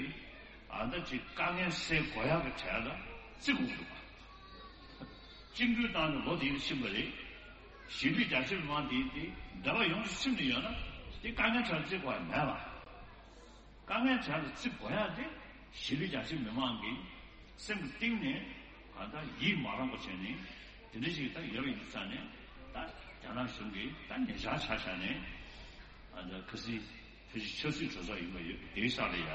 ཨ་ད་ཅིག་དཀའ་ངལ་སེལ་དགོས་ཡག་གི་གྲས་ལ་བརྩི་དགོས་འདུག་བཅིངས་འགྲོལ་བཏང་ནས་ལོ་དེ་ཕྱིན་པ་རེད། གཞིས་ལུས་རྒྱ་ཆེ་མི་མང་དེ་དེ་འདས་པ་ཡོངས་སུ་ཚིམ་དུ་ཡོད་ན་དེ་དཀའ་ངལ་གྲས་ལ་བརྩི་དགོས་ཡ་མེད་པ། དཀའ་ངལ་གྲས་ལ་བརྩི་དགོས་ཡ་དེ་གཞིས་ལུས་རྒྱ་ཆེ་མི་མང་གི་སེམས་ཀྱི་གཏིང་ནས་ད་ལྟ་ཡིད་མ་རངས་པ་བྱས་ནས་དེ་འདྲ་ཞིག་ད་ཡོད་པ་ཡིན་ཙང་ནས། ད་རྒྱ་ནག་གཞུང་གིས་ད་ཉེ་ཆར་ཆ་བཞག་ནས་ད་ལྟ་ཁ་སང་ཕལ་ཆེར་ཆབ་སྲིད་གྲོས་ཚོགས་ཡིན་པ་ཡོད་དེའི་ས་ལ་ཡ།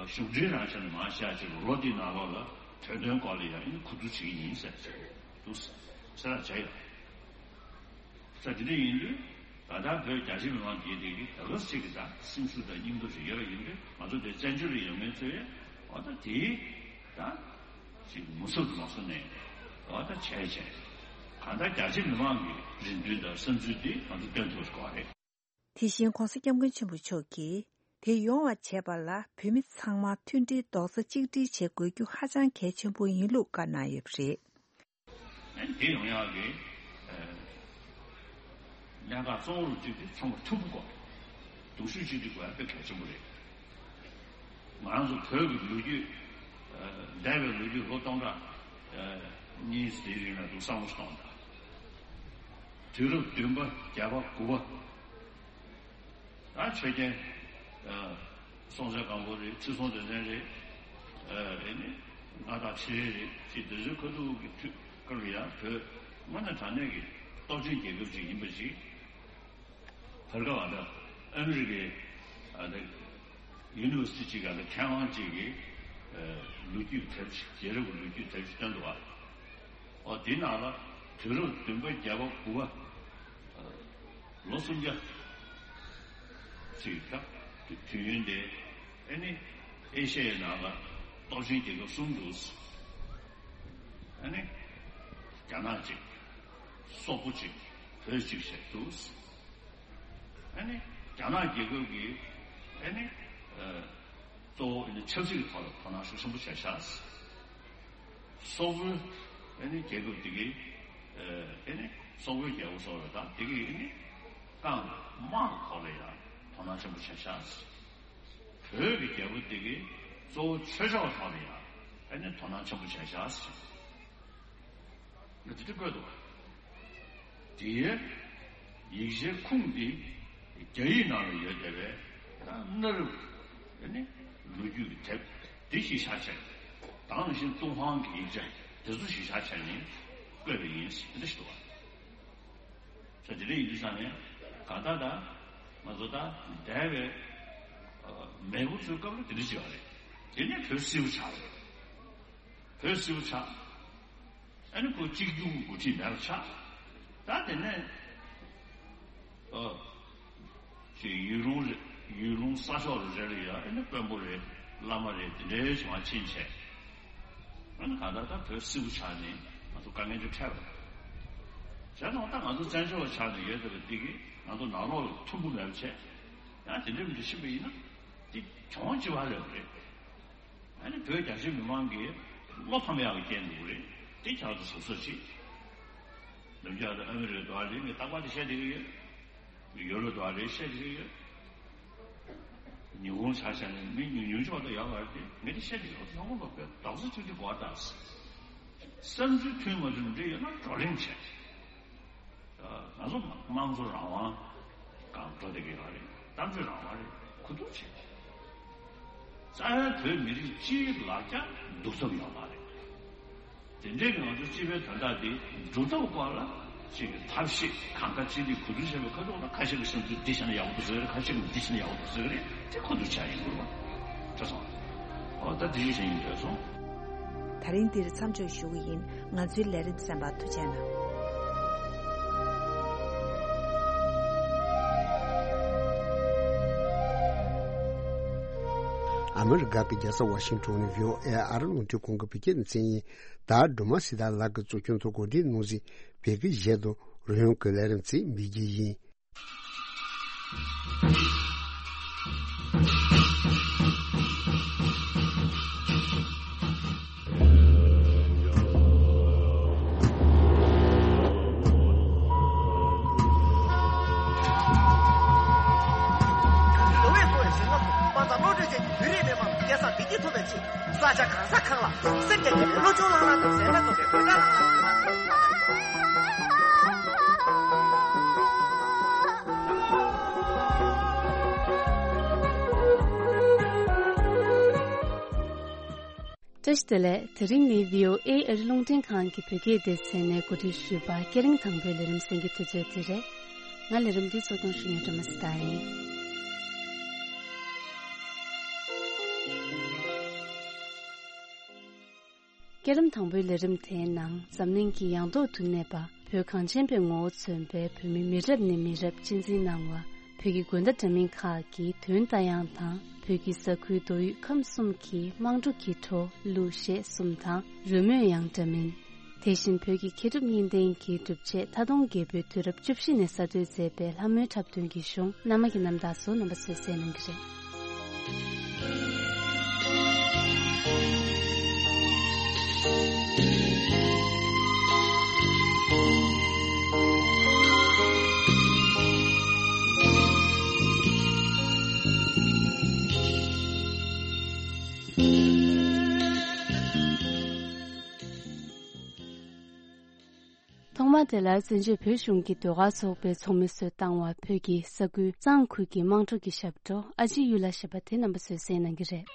གཞུང་འབྲེལ་རང་ཆ་ནས་མ་བཤད་ཅིག་ལོ་འདིའི་ནང་ལོགས་ལ་བོད་དོན་སྐོར་ལ་ཡང་ཨ་ནི་གོ་བསྡུར་བྱེད་ཀྱི་ཡིན་ཟེར་ཅིག་འདུག་ཟེར་ལ་བྱས་ཡོད། ས་དེ་འདྲ་ཡིན་དུས་ད་ལྟ་བོད་རྒྱ་ཆེ་མི་མང་དེའི་དེ་གི་ད་ག་ཟེ་གི་ད་སེམས་ཤུགས་དང་སྙིང་སྟོབས་ཤིག་ཡོད་པ་ཡིན་དུས། ང་ཚོ་དེ་བཙན་བྱོལ་ལ་ཡོད་མཁན་ཚོས་འོ་ད་དེའི་ད་ཅིག་མུ་མཐུད་དུ་མ་སོང་ནས་འོ་ད་བྱས་བྱས་གང་ལྟར་རྒྱ་ཆེ་མི་མང་གི་རེ་འདུན་དང་བསམ་ཚུལ་དེ་ང་ཚོ་བཏོན་ཐུབ་དགོས་པ་རེད། དེ་བཞིན་༧གོང་ས་༧སྐྱབས་མགོན་ཆེན་པོ་མཆོག་གིས་དེ་ཡོང་བ་བྱེད་པ་ལ་བོད་མི་ཚང་མ་མཐུན་སྒྲིལ་རྡོག་རྩ་གཅིག་སྒྲིལ་བྱེད་དགོས་རྒྱུ་ཧ་ཅང་གལ་ཆེན་པོ་ཡིན་ལུགས་བཀའ་གནང་ཡོད་པ་རེད། དེ་ཡོང་ཡག་གི་གནད་འགག་གཙོ་བོ་རུ་གཅིག་དེ་ཚང་མ་མཐུན་པོ་དགོས་རེད། སྡུག་ཤོས་གཅིག་སྒྲིལ་དགོས་ཡག་དཔེ་གལ་ཆེན་པོ་རེད། ང་རང་ཚོ་བོད་ཀྱི་ལོ་རྒྱུས། འདས་པའི་ལོ་རྒྱུས་ལོ་སྟོང་ཕྲག་གཉིས་དེའི་རིང་ལ་འདུག་བསམ་བློ་ཞིག་གཏོང་དང་། དུས་རབས་བདུན་པ་བརྒྱད་པ་དགུ་པ། ད་ཆོས་རྒྱལ་སྲོང་བཙན་སྒམ་པོ་རེད། ཁྲི་སྲོང་ལྡེ་བཙན་རེད། ཨེ་ནི་མངའ་བདག་ཁྲི་རལ་རེད། ཅེས་དེ་ཚོའི་ཁ་ཐུག་གི་དུས་སྐབས་ལ་ཡང་བོད་དངོས་གནས་དྲང་གནས་ཀྱི་སྟོབས་ཆེན་རྒྱལ་ཁབ་ཅིག་ཡིན་པ་ཞིག་བར་སྐབས་ཨ་ད་ཨ་མི་རི་ཀའི་ཨ་ད་ཡུ་ནི་ཝར་སི་ཊི་ཅིག་ག་ལ་མཁས་དབང་ཅིག་གིས་ལོ་རྒྱུས་དེབ་ཅིག་རྒྱལ་རབས་ཀྱི་ལོ་རྒྱུས་དེབ་ཅིག་བཏོན་འདུག་བ། འོ་དེའི་ནང་ལ་དུས་རབས་བདུན་པ་བརྒྱད་པ་དགུ་པ་ལོ་སུམ་བརྒྱ་ཅིག་ད་དུས་ཡུན་དེ་ཨ་ནི་ཨེ་ཤ་ཡའི་ནང་ལ་སྟོབས་ཆེན་རྒྱལ་ཁབ་གསུམ་འདུག་ཨ་ནི་རྒྱ་ནག་ཅིག་སོག་པོ་ཅིག་བོད་ཅིག་བྱས་འདུག་ཨ་ནི་རྒྱ་ནག་རྒྱལ་ཁབ་ཀྱིས་ཨ་ནི་ཨ་གཙོ་བོ་ཨ་ནི་ཆབ་སྲིད་ཀྱི་ཐོག་ལ་དོ་སྣང་ཤུགས་ཆེན་པོ་བྱས་ཤག་སོག་པོའི་ཨ་ནི་རྒྱལ་ཁབ་དེ་གའི་ཨ་ནི་སོག་པོའི་རྒྱལ་པོ་སོགས་ལ་དང་དེ་གའི་ཨ་ནི་རྐང་དམག་གི་ཐོག་ལ་ཡང་དོ་སྣང་ཆེན་པོ་བྱས་ཤག་བོད་ཀྱི་རྒྱལ་པོ་དེ་གའི་གཙོ་བོ་ཆོས་ཕྱོགས་ཐོག་ལ་ཡང་ཨ་ནི་དོ་སྣང་ཆེན་པོ་བྱས་ཤག་ང་དེ་འདྲ་བཀོད་འདུག་དེའི་ཡིག་ཆའི་ཁུངས་དེ་རྒྱ་ཡིག་ནང་ལ་ཡོད་བསྡད་པའི་གནའ་རབས་ནི་ལོ་རྒྱུས་ཀྱི་དེབ་དེ་གཞི་བཞག་བྱས། དེ་ནང་བཞིན་ཏུན་ཧོང་གི་ཡིག་ཆ་དེ་ཚོ་གཞི་བཞག་བྱས་ནས་བཀོད་པ་ཡིན་ཟེར་དེ་འདྲ་ཞིག་འདུག་བ། ས་དེ་འདྲ་ཡིན་དུས་ཙང་ནས་གང་ལྟར་ད་ང་ཚོ་ད་འདས་པའི་མེས་པོ་ཚོའི་སྐབས་ལ་དེ་འདྲ་ཅིག་ཡོད་རེད། དེ་ནས་བོད་སིལ་བུ་ཆགས་རེད། བོད་སིལ་བུ་ཆགས། ཨ་ནི་ཁོ་གཅིག་གྱུར་གྱི་འགོ་ཁྲིད་མེད་པ་ཆགས། ད་དེ་ནས་ཨ་ཅིག་ཡུལ་ལུང་རེ་ཡུལ་ལུང་ས་ཕྱོགས་རེ་རེ་ལ་ཡང་ཨ་ནི་དཔོན་པོ་རེ་བླ་མ་རེ་དེ་འདྲའི་བྱུང་བ་ཕྱིན་བྱས། ཨ་ནི་གང་ལྟར་ད་བོད་སིལ་བུ་ཆགས་ནས་ང་ཚོ་དཀའ་ངལ་ཅིག་འཕྲད་པ་རེད། བྱས་ཙང་ད་ང་ཚོ་བཙན་བྱོལ་བ་ཆགས་ནས་ཡོད་བསྡད་པ་འདི་གིས་ང་ཚོ་ནང་ལོགས་ལ་མཐུན་པོ་མེད་པ་བྱས། ཡང་དེ་འདྲའི་མི་འདྲ་ཕྱིན་པ་ཡིན་ན་འདི་གྱོང་ཅི་བ་རེད་པ་རེད། ཨ་ནི་བོད་རྒྱ་ཆེ་མི་མང་གིས་བློ་ཕམ་ཡག་གི་རྐྱེན་འདུག་རེད། དེ་ཁྱག་ཏུ་ཟུག་གཟེར་བྱེད། ནམ་རྒྱུན་ཨ་མི་རི་ཀའི་དོག་ལ་ངས་རྟག་པར་དེ་བཤད་བསྡད་ཀྱི་ཡོད། ཡོ་རོབ་དོག་ལ་བཤད་བསྡད་ཀྱི་ཡོད། ཉི་ཧོང་ཆ་བཞག་ནས་མི་ཉུང་ཉུང་ཅིག་བར་དུ་ཡོད་པ་རེད་དེ། ངས་དེ་བཤད་བསྡད་ཀྱི་ཡོད། ཚང་མ་ལོག་པའི་རྡོག་རྩ་གཅིག་སྒྲིལ་དགོས་པ་རེད། བསམ་ཚུལ་མཐུན་མ་མཐུན་འདྲ་ཡོད་ན་བགྲོ་གླེང་བྱས། ང་ཚོ་དམངས་གཙོ་རང་དབང་སྒང་འགྲོ་བསྡད་ཀྱི་ཡོད་རེད། གཏམ་བརྗོད་རང་དབང་རེད། གོ་བསྡུར་བྱས། རྩ་བའི་བོད་མི་རིགས་སྤྱིའི་ལ་རྒྱ་འདུག་ཐབས་ཡོད་མ་རེད། དེ་འདྲའི་གི་ང་ཚོ་སྤྱི་པའི་དོན་དག་འདི་སྒྲུབ་ཐབས་སྐོར་ལ་ཅིག་གི་ཐབས་ཤེས་གང་དགའ་ཅི་ལེགས་གོ་བསྡུར་བྱས་པའི་ཁ་ཐོག་ལ་ཁ་ཤས་ཀྱི་བསམ་ཚུལ་འདི་བྱས་ན་ཡག་པོ་འདུག་ཟེར་གི་རེད། ཁ་ཤས་ཀྱིས་འདི་བྱས་ན་ཡག་པོ་འདུག་ཟེར་གི་རེད། དེ་གོ་བསྡུར་བྱ་ཡིན་དགོས་པ། ཁྲ་སོང་། ཨོ་ད་དེ་ཞིག་བྱས་ཡིན་འདོད་སོང་། ད་རིང་འདིར་མཚམས་འཇོག་ཞུ་གི་ཡིན། ང་ཚོའི་ལས་རིམ་གསན་པར་ཐུགས་རྗེ་གནང་། ཨ་མི་རི་ཀ་གི་རྒྱལ་ས་ཝ་ཤིང་ཊོན་ནས་བྷི་ཨོ་ཨེ་ཨ་རི་རླུང་འཕྲིན་ཁང་གི་བོད་སྐད་སྡེ་ཚན་ཡིན། ད་སྒྲོལ་མ་སྲི་ཐར་ལགས་ཀྱིས་གཙོ་སྐྱོང་དུ་གོ་སྒྲིག་གནང་མཛད་བོད་སྐད་གཞས་དང་རོལ་དབྱངས་ཀྱི་ལས་རིམ་ཚིག་མི་རྒྱུད་ཡིན། ལོ་བས་འཚོ་བའི་ཞིང་ཁམས་སུ་དཔའ་མཛངས་བློ་གྲོས་ཅན་གྱི་བོད་རིགས་མི་དམངས་ལ་སྐལ་བཟང་བདེ་སྐྱིད་ཐོབ་པའི་ཆེད། ས་ཆ་གང་ས་གང་ལ་སེམས་རྒྱ་བསྐྱེད་པའི་བློ་སྦྱོང་བསླབ་གནང་དང་གཟན་ལྡན་སྟོན་པའི་གོས་འདྲ་བསླབ་གནང་། བཀྲ་ཤིས་བདེ་ལེགས། དེ་རིང་ནི་བྷི་ཨོ་ཨེ་ཨ་རི་རླུང་འཕྲིན་ཁང་གི་བོད་སྐད་སྡེ་ཚན་ནས་གོ་སྒྲིག་ཞུས་པ་སྐད་རིང་དང་པོའི་ལས་རིམ་གསན་གྱི་དུས་ཚོད་དེ་རེད། ང་ལས་རིམ་འདི་གཙོ་སྐྱོང་ཞུ་མཁན་སྒྲོལ་མ་སྲི་ཐར་ཡིན། སྐྱེད་རིམ་དང་པོའི་ལས་རིམ་དེའི་ནང་འཛམ་གླིང་གི་ཡང་ཐོག་ཏུ་གནས་པ་བོད་གངས་ཅན་པའི་ངོ་བོ་མཚོན་པའི་བོད་མི་མི་རབས་ནས་མི་རབས་གཅེས་འཛིན་གནང་བ། བོད་ཀྱི་དགོན་བདག་འདྲ་མིན་ཁག་གི་དོན་ལྟ་ཡང་དང་། བོད་ཀྱི་ས་ཁུལ་མདོ་དབུས་ཁམས་གསུམ་གྱི་དམངས་ཁྲོད་ཀྱི་བྲོ་གླུ་གཞས་གསུམ་དང་རོལ་མོས་ཡང་འདྲ་མིན། དེ་བཞིན་བོད་ཀྱི་མཁས་གྲུབ་གཉིས་ལྡན་གྱི་སྒྲུབ་བྱེད་མཐའ་སྟོང་རྒྱལ་པོའི་དུས་རབས་བཅུ་བཞི་ནས་གསར་གཏོད་མཛད་པའི་ལྷ་མོའི་འཁྲབ་སྟོན་གྱི་གཞུང་། རྣམ་པ་གི་རྣམ་དག་སོགས་རྣམ་པ་ཚོས་གསན་གནང་གི་རེད། ཐོག་མར་དེ་ལ་བཙན་བྱོལ་བོད་གཞུང་གི་ཟློས་གར་ཚོགས་པའི་ཚོགས་མི་ཚོས་བཏང་བ། བོད་ཀྱི་ས་ཁུལ་གཙང་ཁུལ་གྱི་དམངས་ཁྲོད་ཀྱི་ཞབས་བྲོ་ཨ་ཅེ་གཡུ་ལྷ་ཞེས་པ་དེ་རྣམ་པ་ཚོས་གསན་གནང་གི་རེད།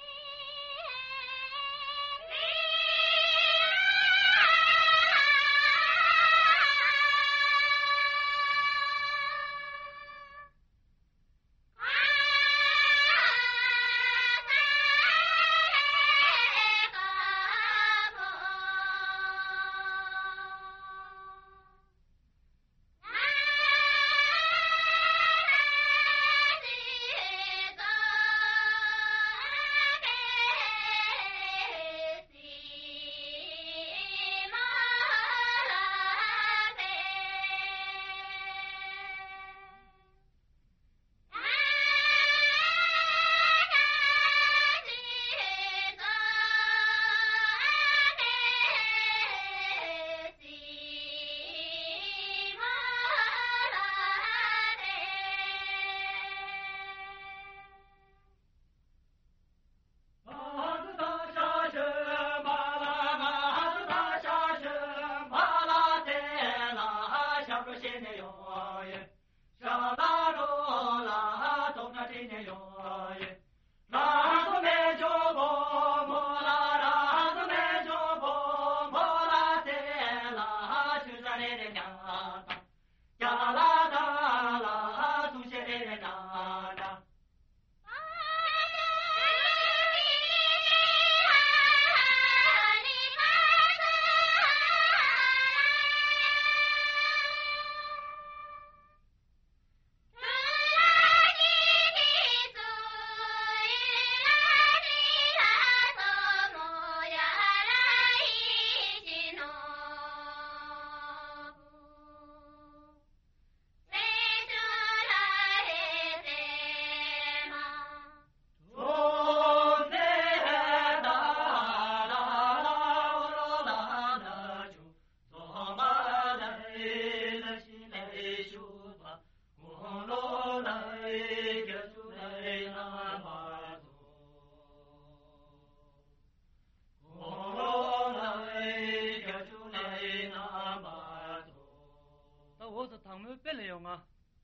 འོ་ཚོ་དང་མོའི་དཔེ་ལ་ཡོང་ང་།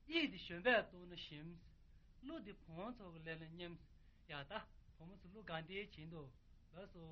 གཡིས་འདི་གཞོན་པས་གཏུགས་ན་ཞིམ། གླུ་འདི་བུ་མོ་ཚོ་གི་ལས་ལ་སྙན། ཡ་ད་བུ་མོ་ཚོ་གླུ་གང་དེའི་བྱིན་འདུག་ལགས་སོ།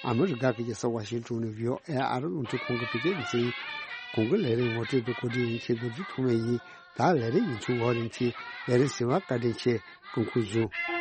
ཨ་མི་རི་ཀ་གི་རྒྱལ་ས་ཝ་ཤིང་ཊོན་ནས་བྷི་ཨོ་ཨེ་ཨ་རི་རླུང་འཕྲིན་ཁང་གི་བོད་སྐད་སྡེ་ཚན་ཡིན། གོང་གི་ལས་རིམ་ངོ་སྤྲོད་དུ་གོ་སྒྲིག་ཡིན་ཆེད་རྡོ་རྗེ་ཐོགས་མེད་ཡིན། ད་ལས་རིམ་ཡིན་ཚུལ་འོག་རིམ་ཚིག་ལས་རིམ་ཟིན་པ་བཀའ་དྲིན་ཆེ། སྐུ་ཁམས་བཟང་།